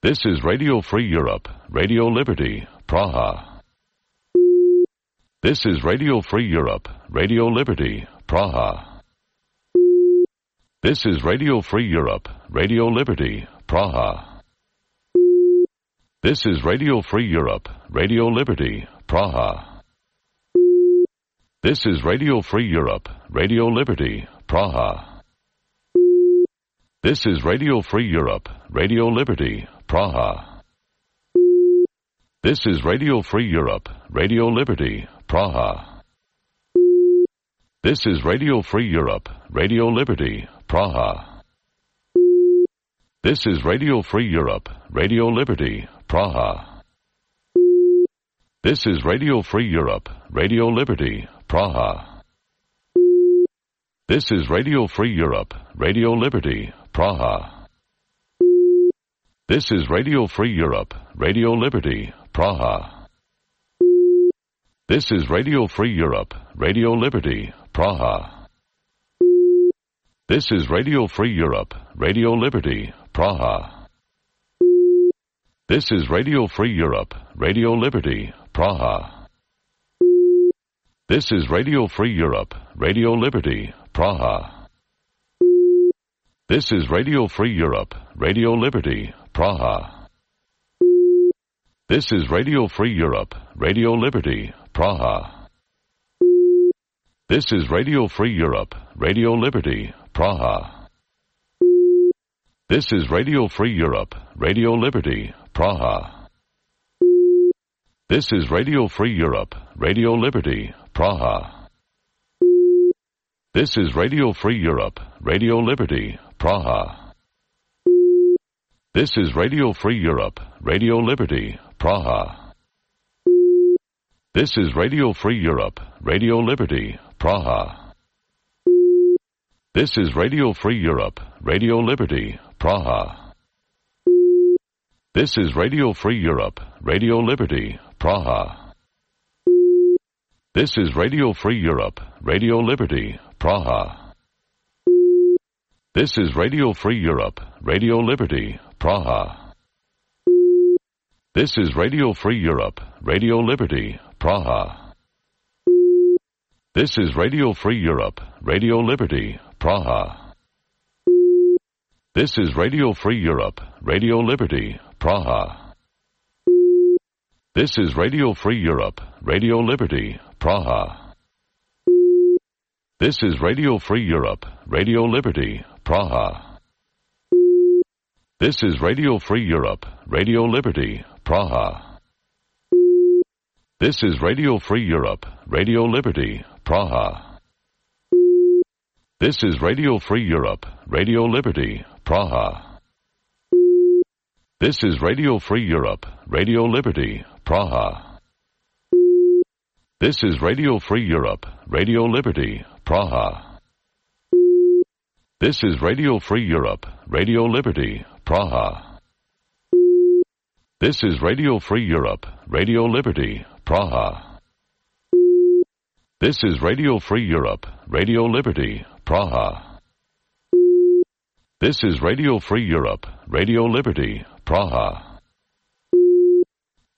This is Radio Free Europe, Radio Liberty, Praha. This is Radio Free Europe, Radio Liberty, Praha. This is Radio Free Europe, Radio Liberty, Praha. This is Radio Free Europe, Radio Liberty, Praha. This is Radio Free Europe, Radio Liberty, Praha. This is Radio Free Europe, Radio Liberty, Praha. This is Radio Free Europe, Radio Liberty, Praha. This is Radio Free Europe, Radio Liberty, Praha. This is Radio Free Europe, Radio Liberty, Praha. This is Radio Free Europe, Radio Liberty, Praha. This is Radio Free Europe, Radio Liberty, Praha. This is Radio Free Europe, Radio Liberty, Praha. This is Radio Free Europe, Radio Liberty, Praha. This is Radio Free Europe, Radio Liberty, Praha. This is Radio Free Europe, Radio Liberty, Praha. This is Radio Free Europe, Radio Liberty, Praha. This is Radio Free Europe, Radio Liberty, Praha. This is Radio Free Europe, Radio Liberty, Praha. This is Radio Free Europe, Radio Liberty, Praha. This is Radio Free Europe, Radio Liberty, Praha. This is Radio Free Europe, Radio Liberty, Praha. This is Radio Free Europe, Radio Liberty, Praha. This is Radio Free Europe, Radio Liberty, Praha. This is Radio Free Europe, Radio Liberty, Praha. This is Radio Free Europe, Radio Liberty, Praha. This is Radio Free Europe, Radio Liberty, Praha. This is Radio Free Europe, Radio Liberty, Praha. This is Radio Free Europe, Radio Liberty, Praha. This is Radio Free Europe, Radio Liberty, Praha. This is Radio Free Europe, Radio Liberty, Praha. This is Radio Free Europe, Radio Liberty, Praha. This is Radio Free Europe, Radio Liberty, Praha. This is Radio Free Europe, Radio Liberty, Praha. This is Radio Free Europe, Radio Liberty, Praha. This is Radio Free Europe, Radio Liberty, Praha. This is Radio Free Europe, Radio Liberty, Praha. This is Radio Free Europe, Radio Liberty, Praha. This is Radio Free Europe, Radio Liberty, Praha. This is Radio Free Europe, Radio Liberty, Praha. This is Radio Free Europe, Radio Liberty, Praha. This is Radio Free Europe, Radio Liberty, Praha. This is Radio Free Europe, Radio Liberty, Praha.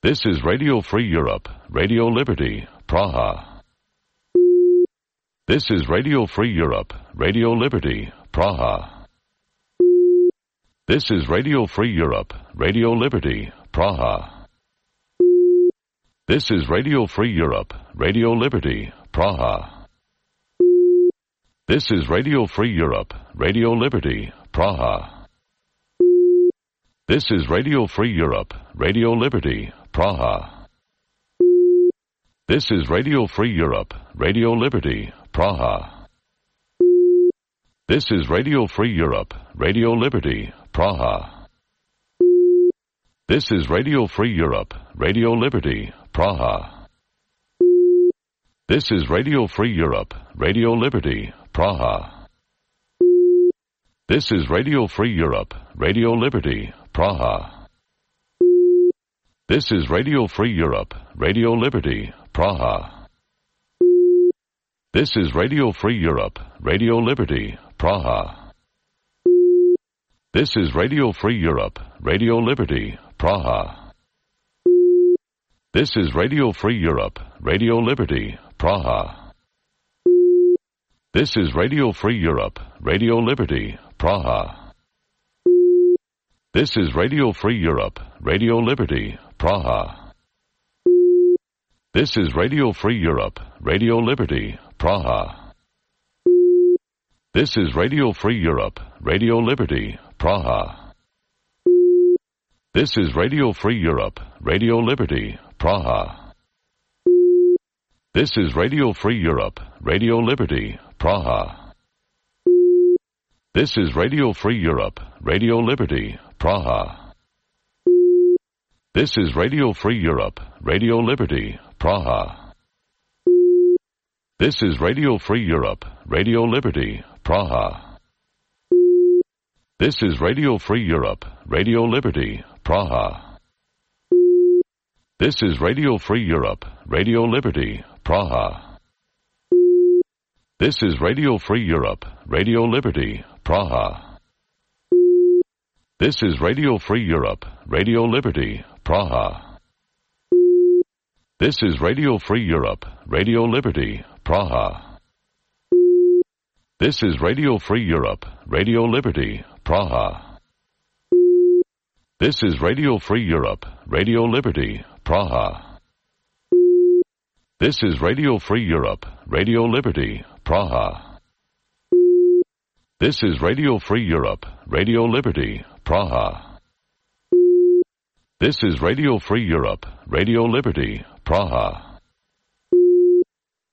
This is Radio Free Europe, Radio Liberty, Praha. This is Radio Free Europe, Radio Liberty, Praha. This is Radio Free Europe, Radio Liberty, Praha. This is Radio Free Europe, Radio Liberty, Praha. This is Radio Free Europe, Radio Liberty, Praha. This is Radio Free Europe, Radio Liberty, Praha. This is Radio Free Europe, Radio Liberty, Praha. This is Radio Free Europe, Radio Liberty, Praha. This is Radio Free Europe, Radio Liberty, Praha. This is Radio Free Europe, Radio Liberty, Praha. This is Radio Free Europe, Radio Liberty, Praha. This is Radio Free Europe, Radio Liberty, Praha. This is Radio Free Europe, Radio Liberty, Praha. This is Radio Free Europe, Radio Liberty, Praha. This is Radio Free Europe, Radio Liberty, Praha. This is Radio Free Europe, Radio Liberty, Praha. This is Radio Free Europe, Radio Liberty, Praha. This is Radio Free Europe, Radio Liberty, Praha. This is Radio Free Europe, Radio Liberty, Praha. This is Radio Free Europe, Radio Liberty, Praha. This is Radio Free Europe, Radio Liberty, Praha. This is Radio Free Europe, Radio Liberty, Praha. This is Radio Free Europe, Radio Liberty, Praha. This is Radio Free Europe, Radio Liberty, Praha. This is Radio Free Europe, Radio Liberty, Praha. This is Radio Free Europe, Radio Liberty, Praha. This is Radio Free Europe, Radio Liberty, Praha. This is Radio Free Europe, Radio Liberty, Praha. This is Radio Free Europe, Radio Liberty, Praha. This is Radio Free Europe, Radio Liberty, Praha. This is Radio Free Europe, Radio Liberty, Praha. This is Radio Free Europe, Radio Liberty, Praha. This is Radio Free Europe, Radio Liberty, Praha. This is Radio Free Europe, Radio Liberty, Praha.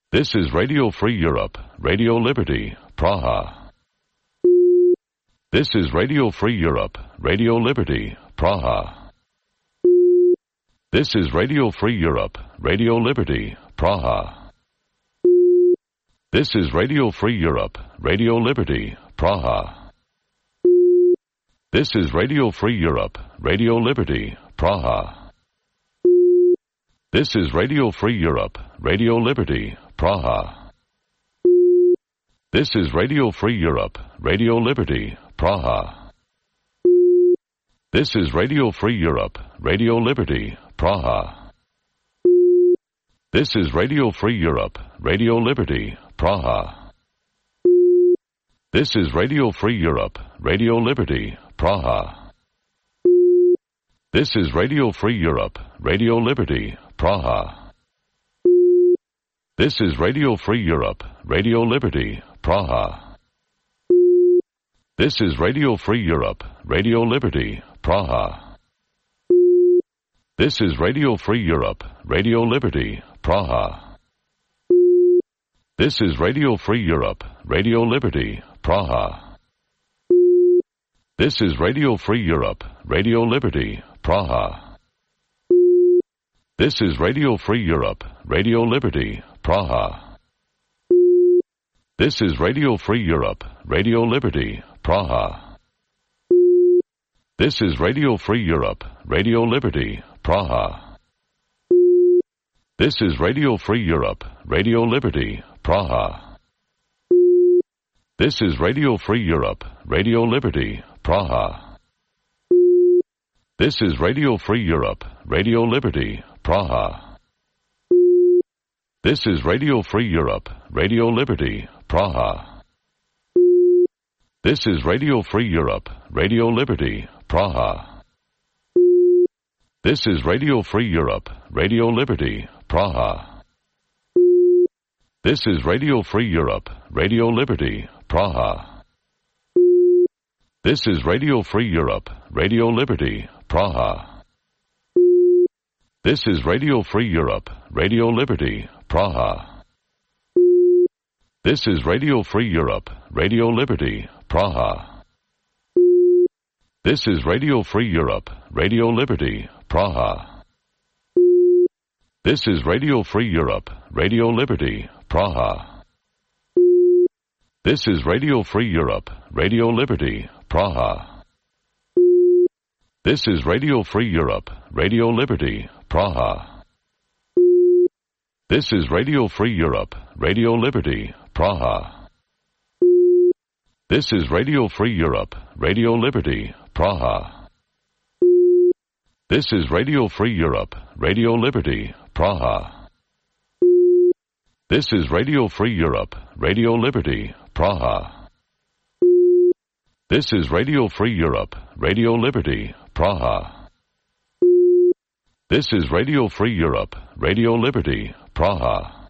This is Radio Free Europe, Radio Liberty, Praha. This is Radio Free Europe, Radio Liberty, Praha. This is Radio Free Europe, Radio Liberty, Praha. This is Radio Free Europe, Radio Liberty, Praha. This is Radio Free Europe, Radio Liberty, Praha. This is Radio Free Europe, Radio Liberty, Praha. This is Radio Free Europe, Radio Liberty, Praha. This is Radio Free Europe, Radio Liberty, Praha. This is Radio Free Europe, Radio Liberty, Praha. This is Radio Free Europe, Radio Liberty, Praha. This is Radio Free Europe, Radio Liberty, Praha. This is Radio Free Europe, Radio Liberty, Praha. This is Radio Free Europe, Radio Liberty, Praha. This is Radio Free Europe, Radio Liberty, Praha. This is Radio Free Europe, Radio Liberty, Praha. This is Radio Free Europe, Radio Liberty, Praha. This is Radio Free Europe, Radio Liberty, Praha. This is Radio Free Europe, Radio Liberty, Praha. This is Radio Free Europe, Radio Liberty, Praha. This is Radio Free Europe, Radio Liberty, Praha. This is Radio Free Europe, Radio Liberty, Praha. This is Radio Free Europe, Radio Liberty, Praha. This is Radio Free Europe, Radio Liberty, Praha. This is Radio Free Europe, Radio Liberty, Praha. This is Radio Free Europe, Radio Liberty, Praha. This is Radio Free Europe, Radio Liberty, Praha. This is Radio Free Europe, Radio Liberty, Praha. This is Radio Free Europe, Radio Liberty, Praha. This is Radio Free Europe, Radio Liberty, Praha. This is Radio Free Europe, Radio Liberty, Praha. This is Radio Free Europe, Radio Liberty, Praha. This is Radio Free Europe, Radio Liberty, Praha. This is Radio Free Europe, Radio Liberty, Praha. This is Radio Free Europe, Radio Liberty, Praha. This is Radio Free Europe, Radio Liberty, Praha. This is Radio Free Europe, Radio Liberty, Praha. This is Radio Free Europe, Radio Liberty, Praha. This is Radio Free Europe, Radio Liberty, Praha. This is Radio Free Europe, Radio Liberty, Praha.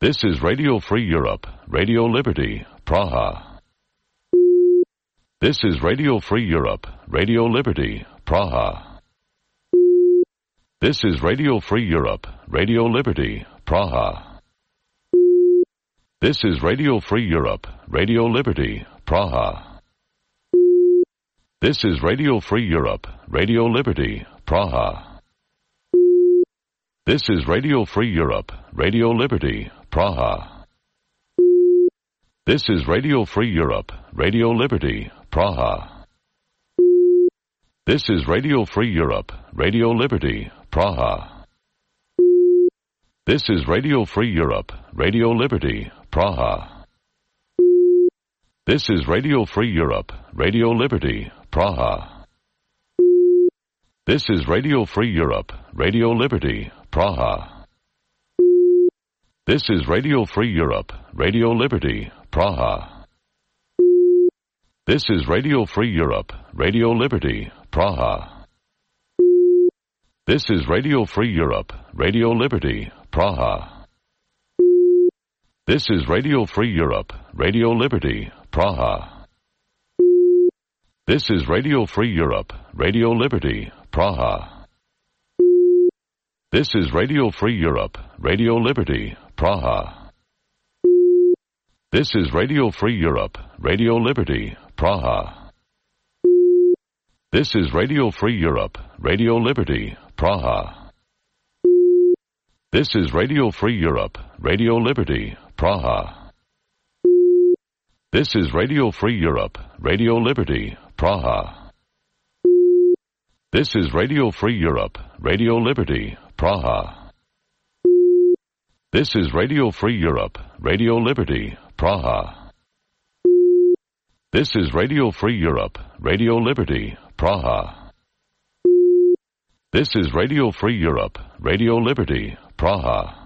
This is Radio Free Europe, Radio Liberty, Praha. This is Radio Free Europe, Radio Liberty, Praha. This is Radio Free Europe, Radio Liberty, Praha. This is Radio Free Europe, Radio Liberty, Praha. This is Radio Free Europe, Radio Liberty, Praha. This is Radio Free Europe, Radio Liberty, Praha. This is Radio Free Europe, Radio Liberty, Praha. This is Radio Free Europe, Radio Liberty, Praha. This is Radio Free Europe, Radio Liberty, Praha. This is Radio Free Europe, Radio Liberty, Praha. This is Radio Free Europe, Radio Liberty, Praha. This is Radio Free Europe, Radio Liberty, Praha. This is Radio Free Europe, Radio Liberty, Praha. This is Radio Free Europe, Radio Liberty, Praha. This is Radio Free Europe, Radio Liberty, Praha. This is Radio Free Europe, Radio Liberty, Praha. This is Radio Free Europe, Radio Liberty, Praha. This is Radio Free Europe, Radio Liberty, Praha. This is Radio Free Europe, Radio Liberty, Praha. This is Radio Free Europe, Radio Liberty, Praha. This is Radio Free Europe, Radio Liberty, Praha. This is Radio Free Europe, Radio Liberty, Praha. This is Radio Free Europe, Radio Liberty, Praha. This is Radio Free Europe, Radio Liberty, Praha. This is Radio Free Europe, Radio Liberty, Praha.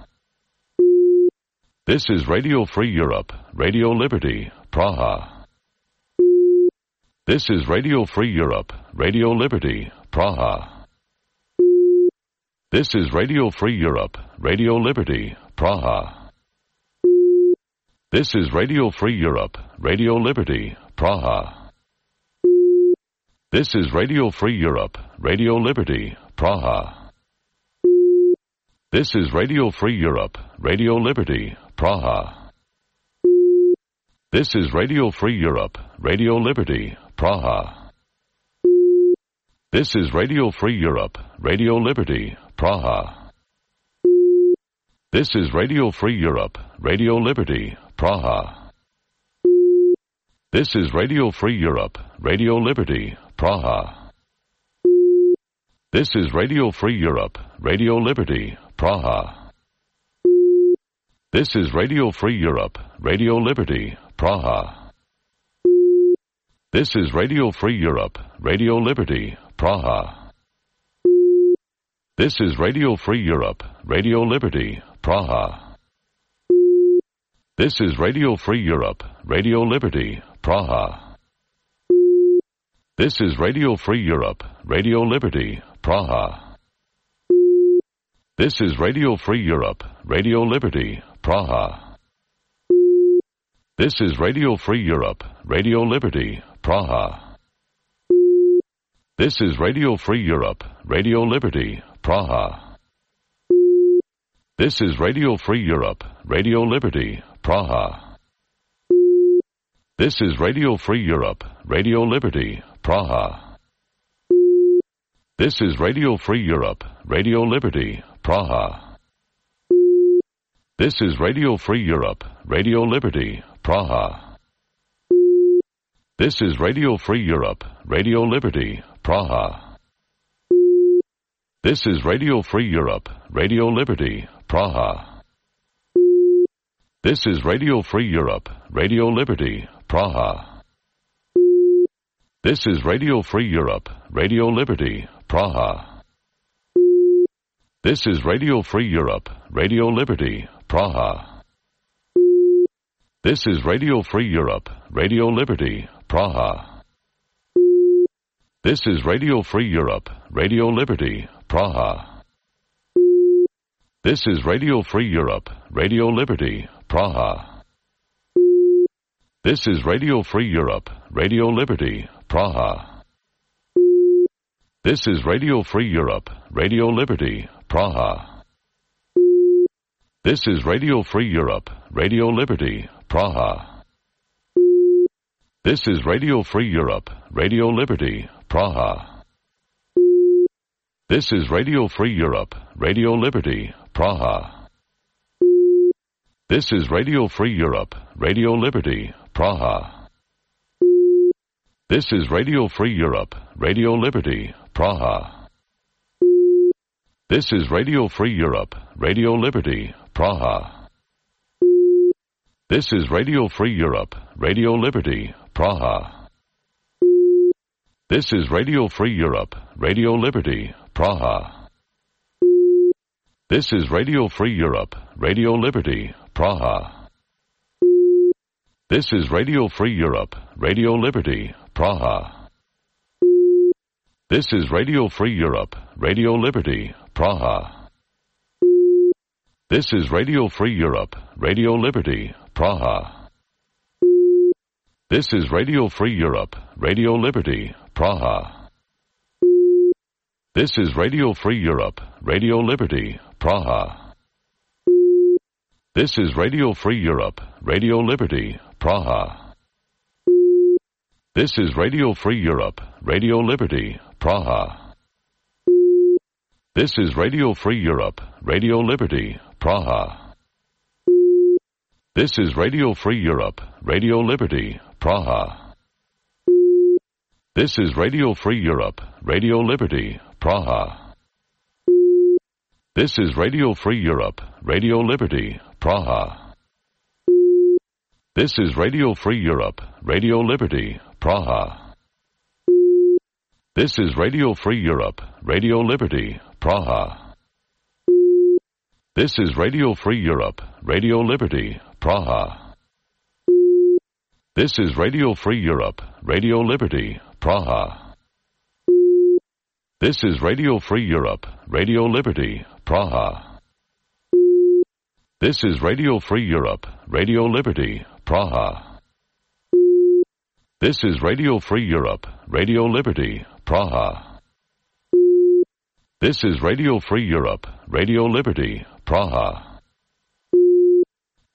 This is Radio Free Europe, Radio Liberty, Praha. This is Radio Free Europe, Radio Liberty, Praha. This is Radio Free Europe, Radio Liberty, Praha. This is Radio Free Europe, Radio Liberty, Praha. This is Radio Free Europe, Radio Liberty, Praha. This is Radio Free Europe, Radio Liberty, Praha. This is Radio Free Europe, Radio Liberty, Praha. This is Radio Free Europe, Radio Liberty, Praha. This is Radio Free Europe, Radio Liberty, Praha. This is Radio Free Europe, Radio Liberty, Praha. This is Radio Free Europe, Radio Liberty, Praha. This is Radio Free Europe, Radio Liberty, Praha. This is Radio Free Europe, Radio Liberty, Praha. This is Radio Free Europe, Radio Liberty, Praha. This is Radio Free Europe, Radio Liberty, Praha. This is Radio Free Europe, Radio Liberty, Praha. This is Radio Free Europe, Radio Liberty, Praha. This is Radio Free Europe, Radio Liberty, Praha. This is Radio Free Europe, Radio Liberty, Praha. This is Radio Free Europe, Radio Liberty, Praha. This is Radio Free Europe, Radio Liberty, Praha. This is Radio Free Europe, Radio Liberty, Praha. This is Radio Free Europe, Radio Liberty, Praha. This is Radio Free Europe, Radio Liberty, Praha. This is Radio Free Europe, Radio Liberty, Praha. This is Radio Free Europe, Radio Liberty, Praha. This is Radio Free Europe, Radio Liberty, Praha. This is Radio Free Europe, Radio Liberty, Praha. This is Radio Free Europe, Radio Liberty, Praha. This is Radio Free Europe, Radio Liberty, Praha. This is Radio Free Europe, Radio Liberty, Praha. This is Radio Free Europe, Radio Liberty, Praha. This is Radio Free Europe, Radio Liberty, Praha. This is Radio Free Europe, Radio Liberty, Praha. This is Radio Free Europe, Radio Liberty, Praha. This is Radio Free Europe, Radio Liberty, Praha. This is Radio Free Europe, Radio Liberty, Praha. This is Radio Free Europe, Radio Liberty, Praha. This is Radio Free Europe, Radio Liberty, Praha. This is Radio Free Europe, Radio Liberty, Praha. This is Radio Free Europe, Radio Liberty, Praha. This is Radio Free Europe, Radio Liberty, Praha. This is Radio Free Europe, Radio Liberty, Praha. This is Radio Free Europe, Radio Liberty, Praha. This is Radio Free Europe, Radio Liberty, Praha. This is Radio Free Europe, Radio Liberty, Praha. This is Radio Free Europe, Radio Liberty, Praha. This is Radio Free Europe, Radio Liberty, Praha. This is Radio Free Europe, Radio Liberty, Praha. This is Radio Free Europe, Radio Liberty, Praha. This is Radio Free Europe, Radio Liberty, Praha. This is Radio Free Europe, Radio Liberty, Praha. This is Radio Free Europe, Radio Liberty, Praha. This is Radio Free Europe, Radio Liberty, Praha. This is Radio Free Europe, Radio Liberty, Praha. This is Radio Free Europe, Radio Liberty, Praha. This is Radio Free Europe, Radio Liberty, Praha. This is Radio Free Europe, Radio Liberty, Praha. This is Radio Free Europe, Radio Liberty, Praha. This is Radio Free Europe, Radio Liberty, Praha. This is Radio Free Europe, Radio Liberty, Praha.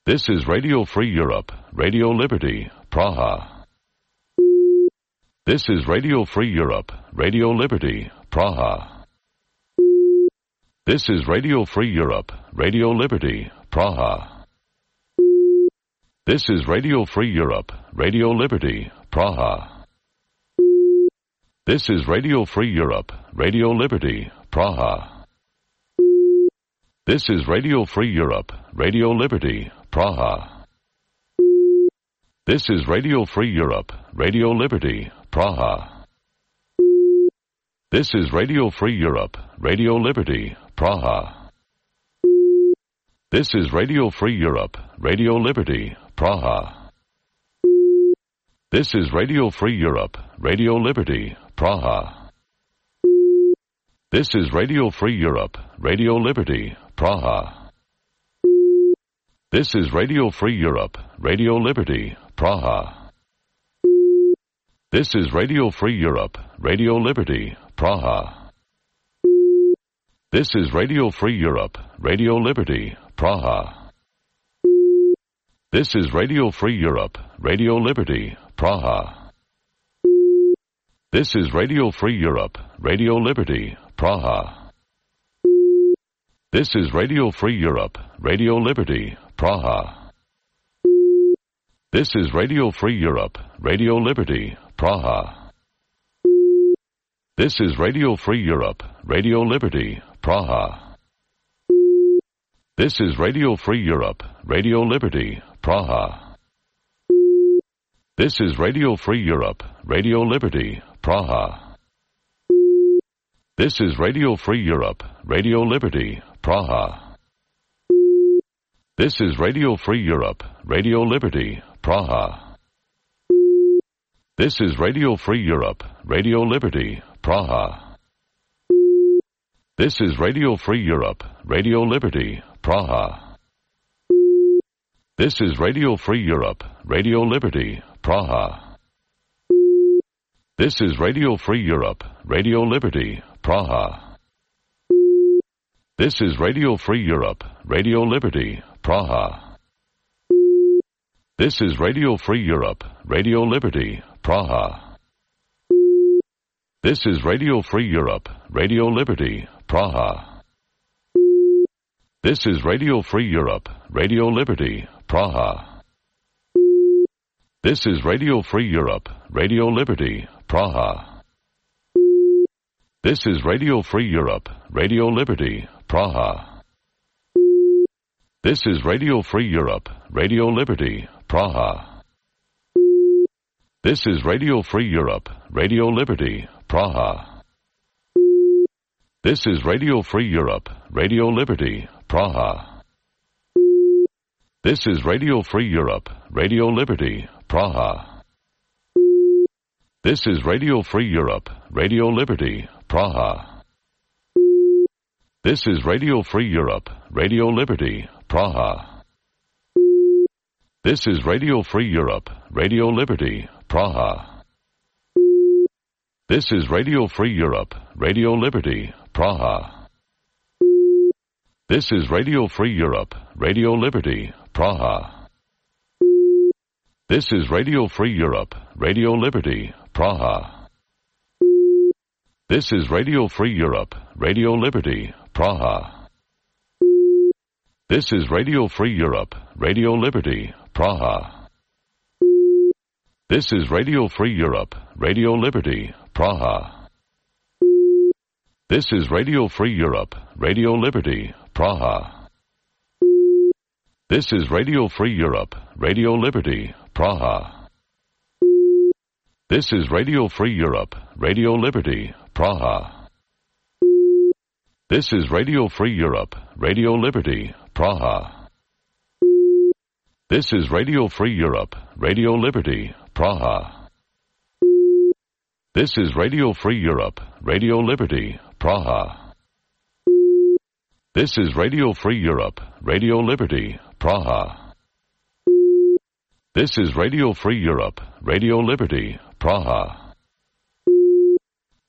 This is Radio Free Europe, Radio Liberty, Praha. This is Radio Free Europe, Radio Liberty, Praha. This is Radio Free Europe, Radio Liberty, Praha. This is Radio Free Europe, Radio Liberty, Praha. This is Radio Free Europe, Radio Liberty, Praha. This is Radio Free Europe, Radio Liberty, Praha. This is Radio Free Europe, Radio Liberty, Praha. This is Radio Free Europe, Radio Liberty, Praha. This is Radio Free Europe, Radio Liberty, Praha. This is Radio Free Europe, Radio Liberty, Praha. This is Radio Free Europe, Radio Liberty, Praha. This is Radio Free Europe, Radio Liberty, Praha. This is Radio Free Europe, Radio Liberty, Praha. This is Radio Free Europe, Radio Liberty, Praha. This is Radio Free Europe, Radio Liberty, Praha. This is Radio Free Europe, Radio Liberty, Praha. This is Radio Free Europe, Radio Liberty, Praha. This is Radio Free Europe, Radio Liberty, Praha. This is Radio Free Europe, Radio Liberty, Praha. This is Radio Free Europe, Radio Liberty, Praha. This is Radio Free Europe, Radio Liberty, Praha. This is Radio Free Europe, Radio Liberty, Praha. This is Radio Free Europe, Radio Liberty, Praha. This is Radio Free Europe, Radio Liberty, Praha. This is Radio Free Europe, Radio Liberty, Praha. This is Radio Free Europe, Radio Liberty, Praha. This is Radio Free Europe, Radio Liberty, Praha. This is Radio Free Europe, Radio Liberty, Praha. This is Radio Free Europe, Radio Liberty, Praha. This is Radio Free Europe, Radio Liberty, Praha. This is Radio Free Europe, Radio Liberty, Praha. This is Radio Free Europe, Radio Liberty, Praha. This is Radio Free Europe, Radio Liberty, Praha. This is Radio Free Europe, Radio Liberty, Praha. This is Radio Free Europe, Radio Liberty, Praha. This is Radio Free Europe, Radio Liberty, Praha. This is Radio Free Europe, Radio Liberty, Praha. This is Radio Free Europe, Radio Liberty, Praha. This is Radio Free Europe, Radio Liberty, Praha. This is Radio Free Europe, Radio Liberty, Praha. This is Radio Free Europe, Radio Liberty, Praha. This is Radio Free Europe, Radio Liberty, Praha. This is Radio Free Europe, Radio Liberty, Praha. This is Radio Free Europe, Radio Liberty, Praha. This is Radio Free Europe, Radio Liberty, Praha. This is Radio Free Europe, Radio Liberty, Praha. This is Radio Free Europe, Radio Liberty, Praha. This is Radio Free Europe, Radio Liberty, Praha. This is Radio Free Europe, Radio Liberty, Praha. This is Radio Free Europe, Radio Liberty, Praha. This is Radio Free Europe, Radio Liberty, Praha. This is Radio Free Europe, Radio Liberty, Praha. This is Radio Free Europe, Radio Liberty, Praha. This is Radio Free Europe, Radio Liberty, Praha.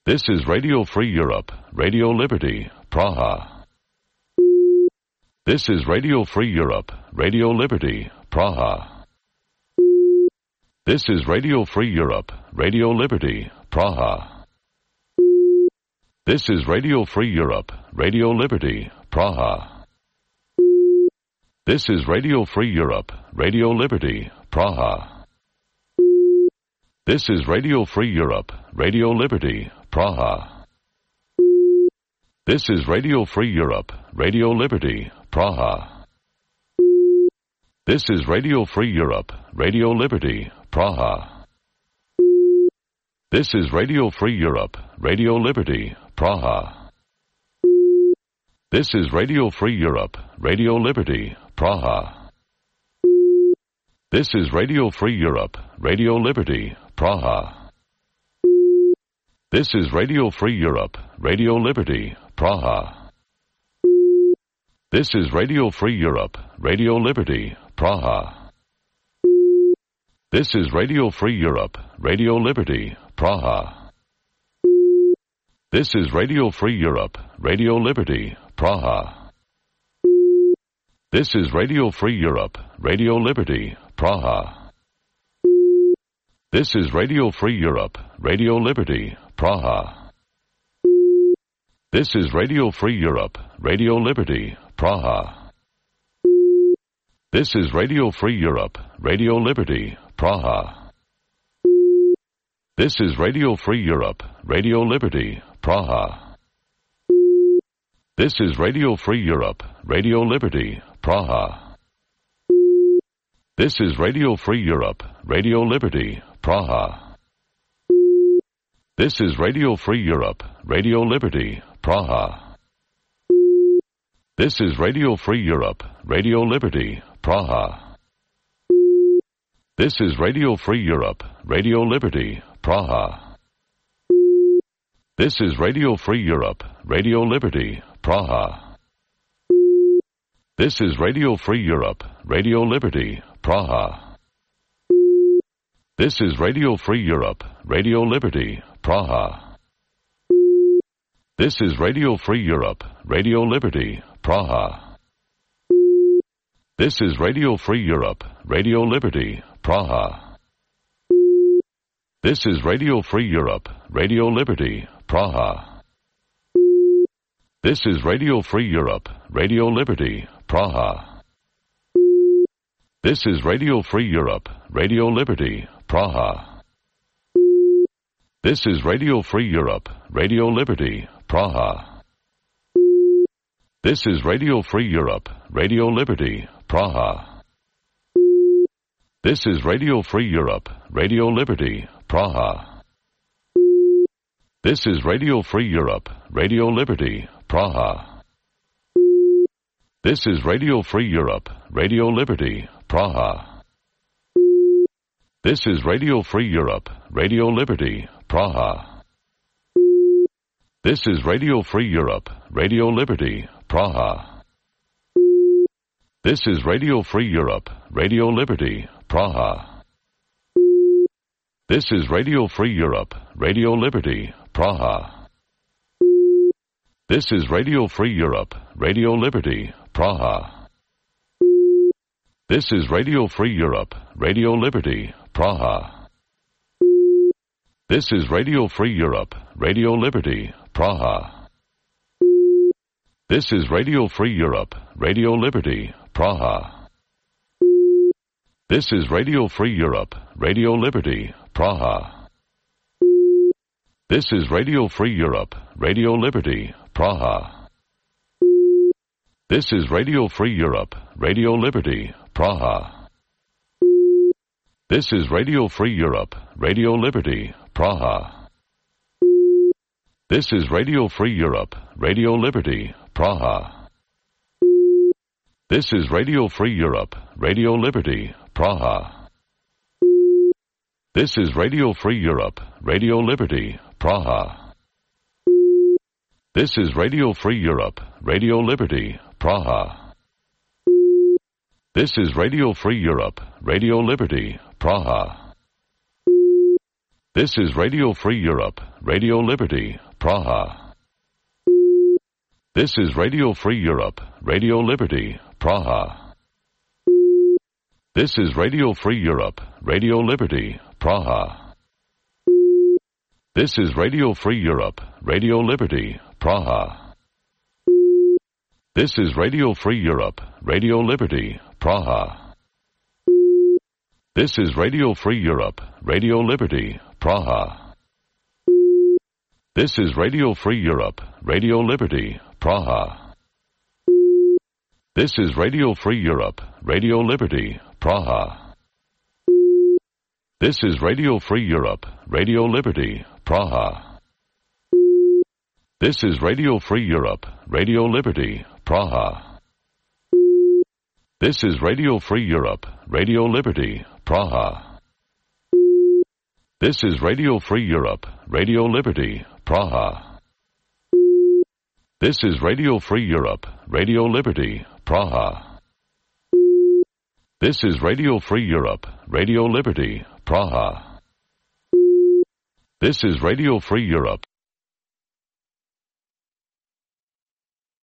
This is Radio Free Europe, Radio Liberty, Praha. This is Radio Free Europe, Radio Liberty, Praha. This is Radio Free Europe, Radio Liberty, Praha. This is Radio Free Europe, Radio Liberty, Praha. This is Radio Free Europe, Radio Liberty, Praha. This is Radio Free Europe, Radio Liberty, Praha. This is Radio Free Europe, Radio Liberty, Praha. This is Radio Free Europe, Radio Liberty, Praha. This is Radio Free Europe, Radio Liberty, Praha. This is Radio Free Europe, Radio Liberty, Praha. This is Radio Free Europe, Radio Liberty, Praha. This is Radio Free Europe, Radio Liberty, Praha. This is Radio Free Europe, Radio Liberty, Praha. This is Radio Free Europe, Radio Liberty, Praha. This is Radio Free Europe, Radio Liberty, Praha. This is Radio Free Europe, Radio Liberty, Praha. This is Radio Free Europe, Radio Liberty, Praha. This is Radio Free Europe, Radio Liberty, Praha. This is Radio Free Europe, Radio Liberty, Praha. This is Radio Free Europe, Radio Liberty, Praha. This is Radio Free Europe, Radio Liberty, Praha. This is Radio Free Europe, Radio Liberty, Praha. This is Radio Free Europe, Radio Liberty, Praha. This is Radio Free Europe, Radio Liberty, Praha. This is Radio Free Europe, Radio Liberty, Praha. This is Radio Free Europe, Radio Liberty, Praha. This is Radio Free Europe, Radio Liberty, Praha. This is Radio Free Europe, Radio Liberty, Praha. This is Radio Free Europe, Radio Liberty, Praha. This is Radio Free Europe, Radio Liberty, Praha. This is Radio Free Europe, Radio Liberty, Praha. This is Radio Free Europe, Radio Liberty, Praha. This is Radio Free Europe, Radio Liberty, Praha. This is Radio Free Europe, Radio Liberty, Praha. This is Radio Free Europe, Radio Liberty, Praha. This is Radio Free Europe, Radio Liberty, Praha. This is Radio Free Europe, Radio Liberty, Praha. This is Radio Free Europe, Radio Liberty, Praha. This is Radio Free Europe, Radio Liberty, Praha. This is Radio Free Europe, Radio Liberty, Praha. This is Radio Free Europe, Radio Liberty, Praha. This is Radio Free Europe, Radio Liberty, Praha. This is Radio Free Europe, Radio Liberty, Praha. This is Radio Free Europe, Radio Liberty, Praha. This is Radio Free Europe, Radio Liberty, Praha. This is Radio Free Europe, Radio Liberty, Praha. This is Radio Free Europe, Radio Liberty, Praha. This is Radio Free Europe, Radio Liberty, Praha. This is Radio Free Europe, Radio Liberty, Praha. This is Radio Free Europe, Radio Liberty, Praha. This is Radio Free Europe, Radio Liberty, Praha. This is Radio Free Europe, Radio Liberty, Praha. This is Radio Free Europe, Radio Liberty, Praha. This is Radio Free Europe, Radio Liberty, Praha. This is Radio Free Europe, Radio Liberty, Praha. This is Radio Free Europe, Radio Liberty, Praha. This is Radio Free Europe, Radio Liberty, Praha. This is Radio Free Europe, Radio Liberty, Praha. This is Radio Free Europe, Radio Liberty, Praha. This is Radio Free Europe, Radio Liberty, Praha. This is Radio Free Europe, Radio Liberty, Praha. This is Radio Free Europe, Radio Liberty, Praha. This is Radio Free Europe, Radio Liberty, Praha. This is Radio Free Europe, Radio Liberty, Praha. This is Radio Free Europe, Radio Liberty, Praha. This is Radio Free Europe, Radio Liberty, Praha. This is Radio Free Europe, Radio Liberty, Praha. This is Radio Free Europe, Radio Liberty, Praha. This is Radio Free Europe, Radio Liberty, Praha. This is Radio Free Europe,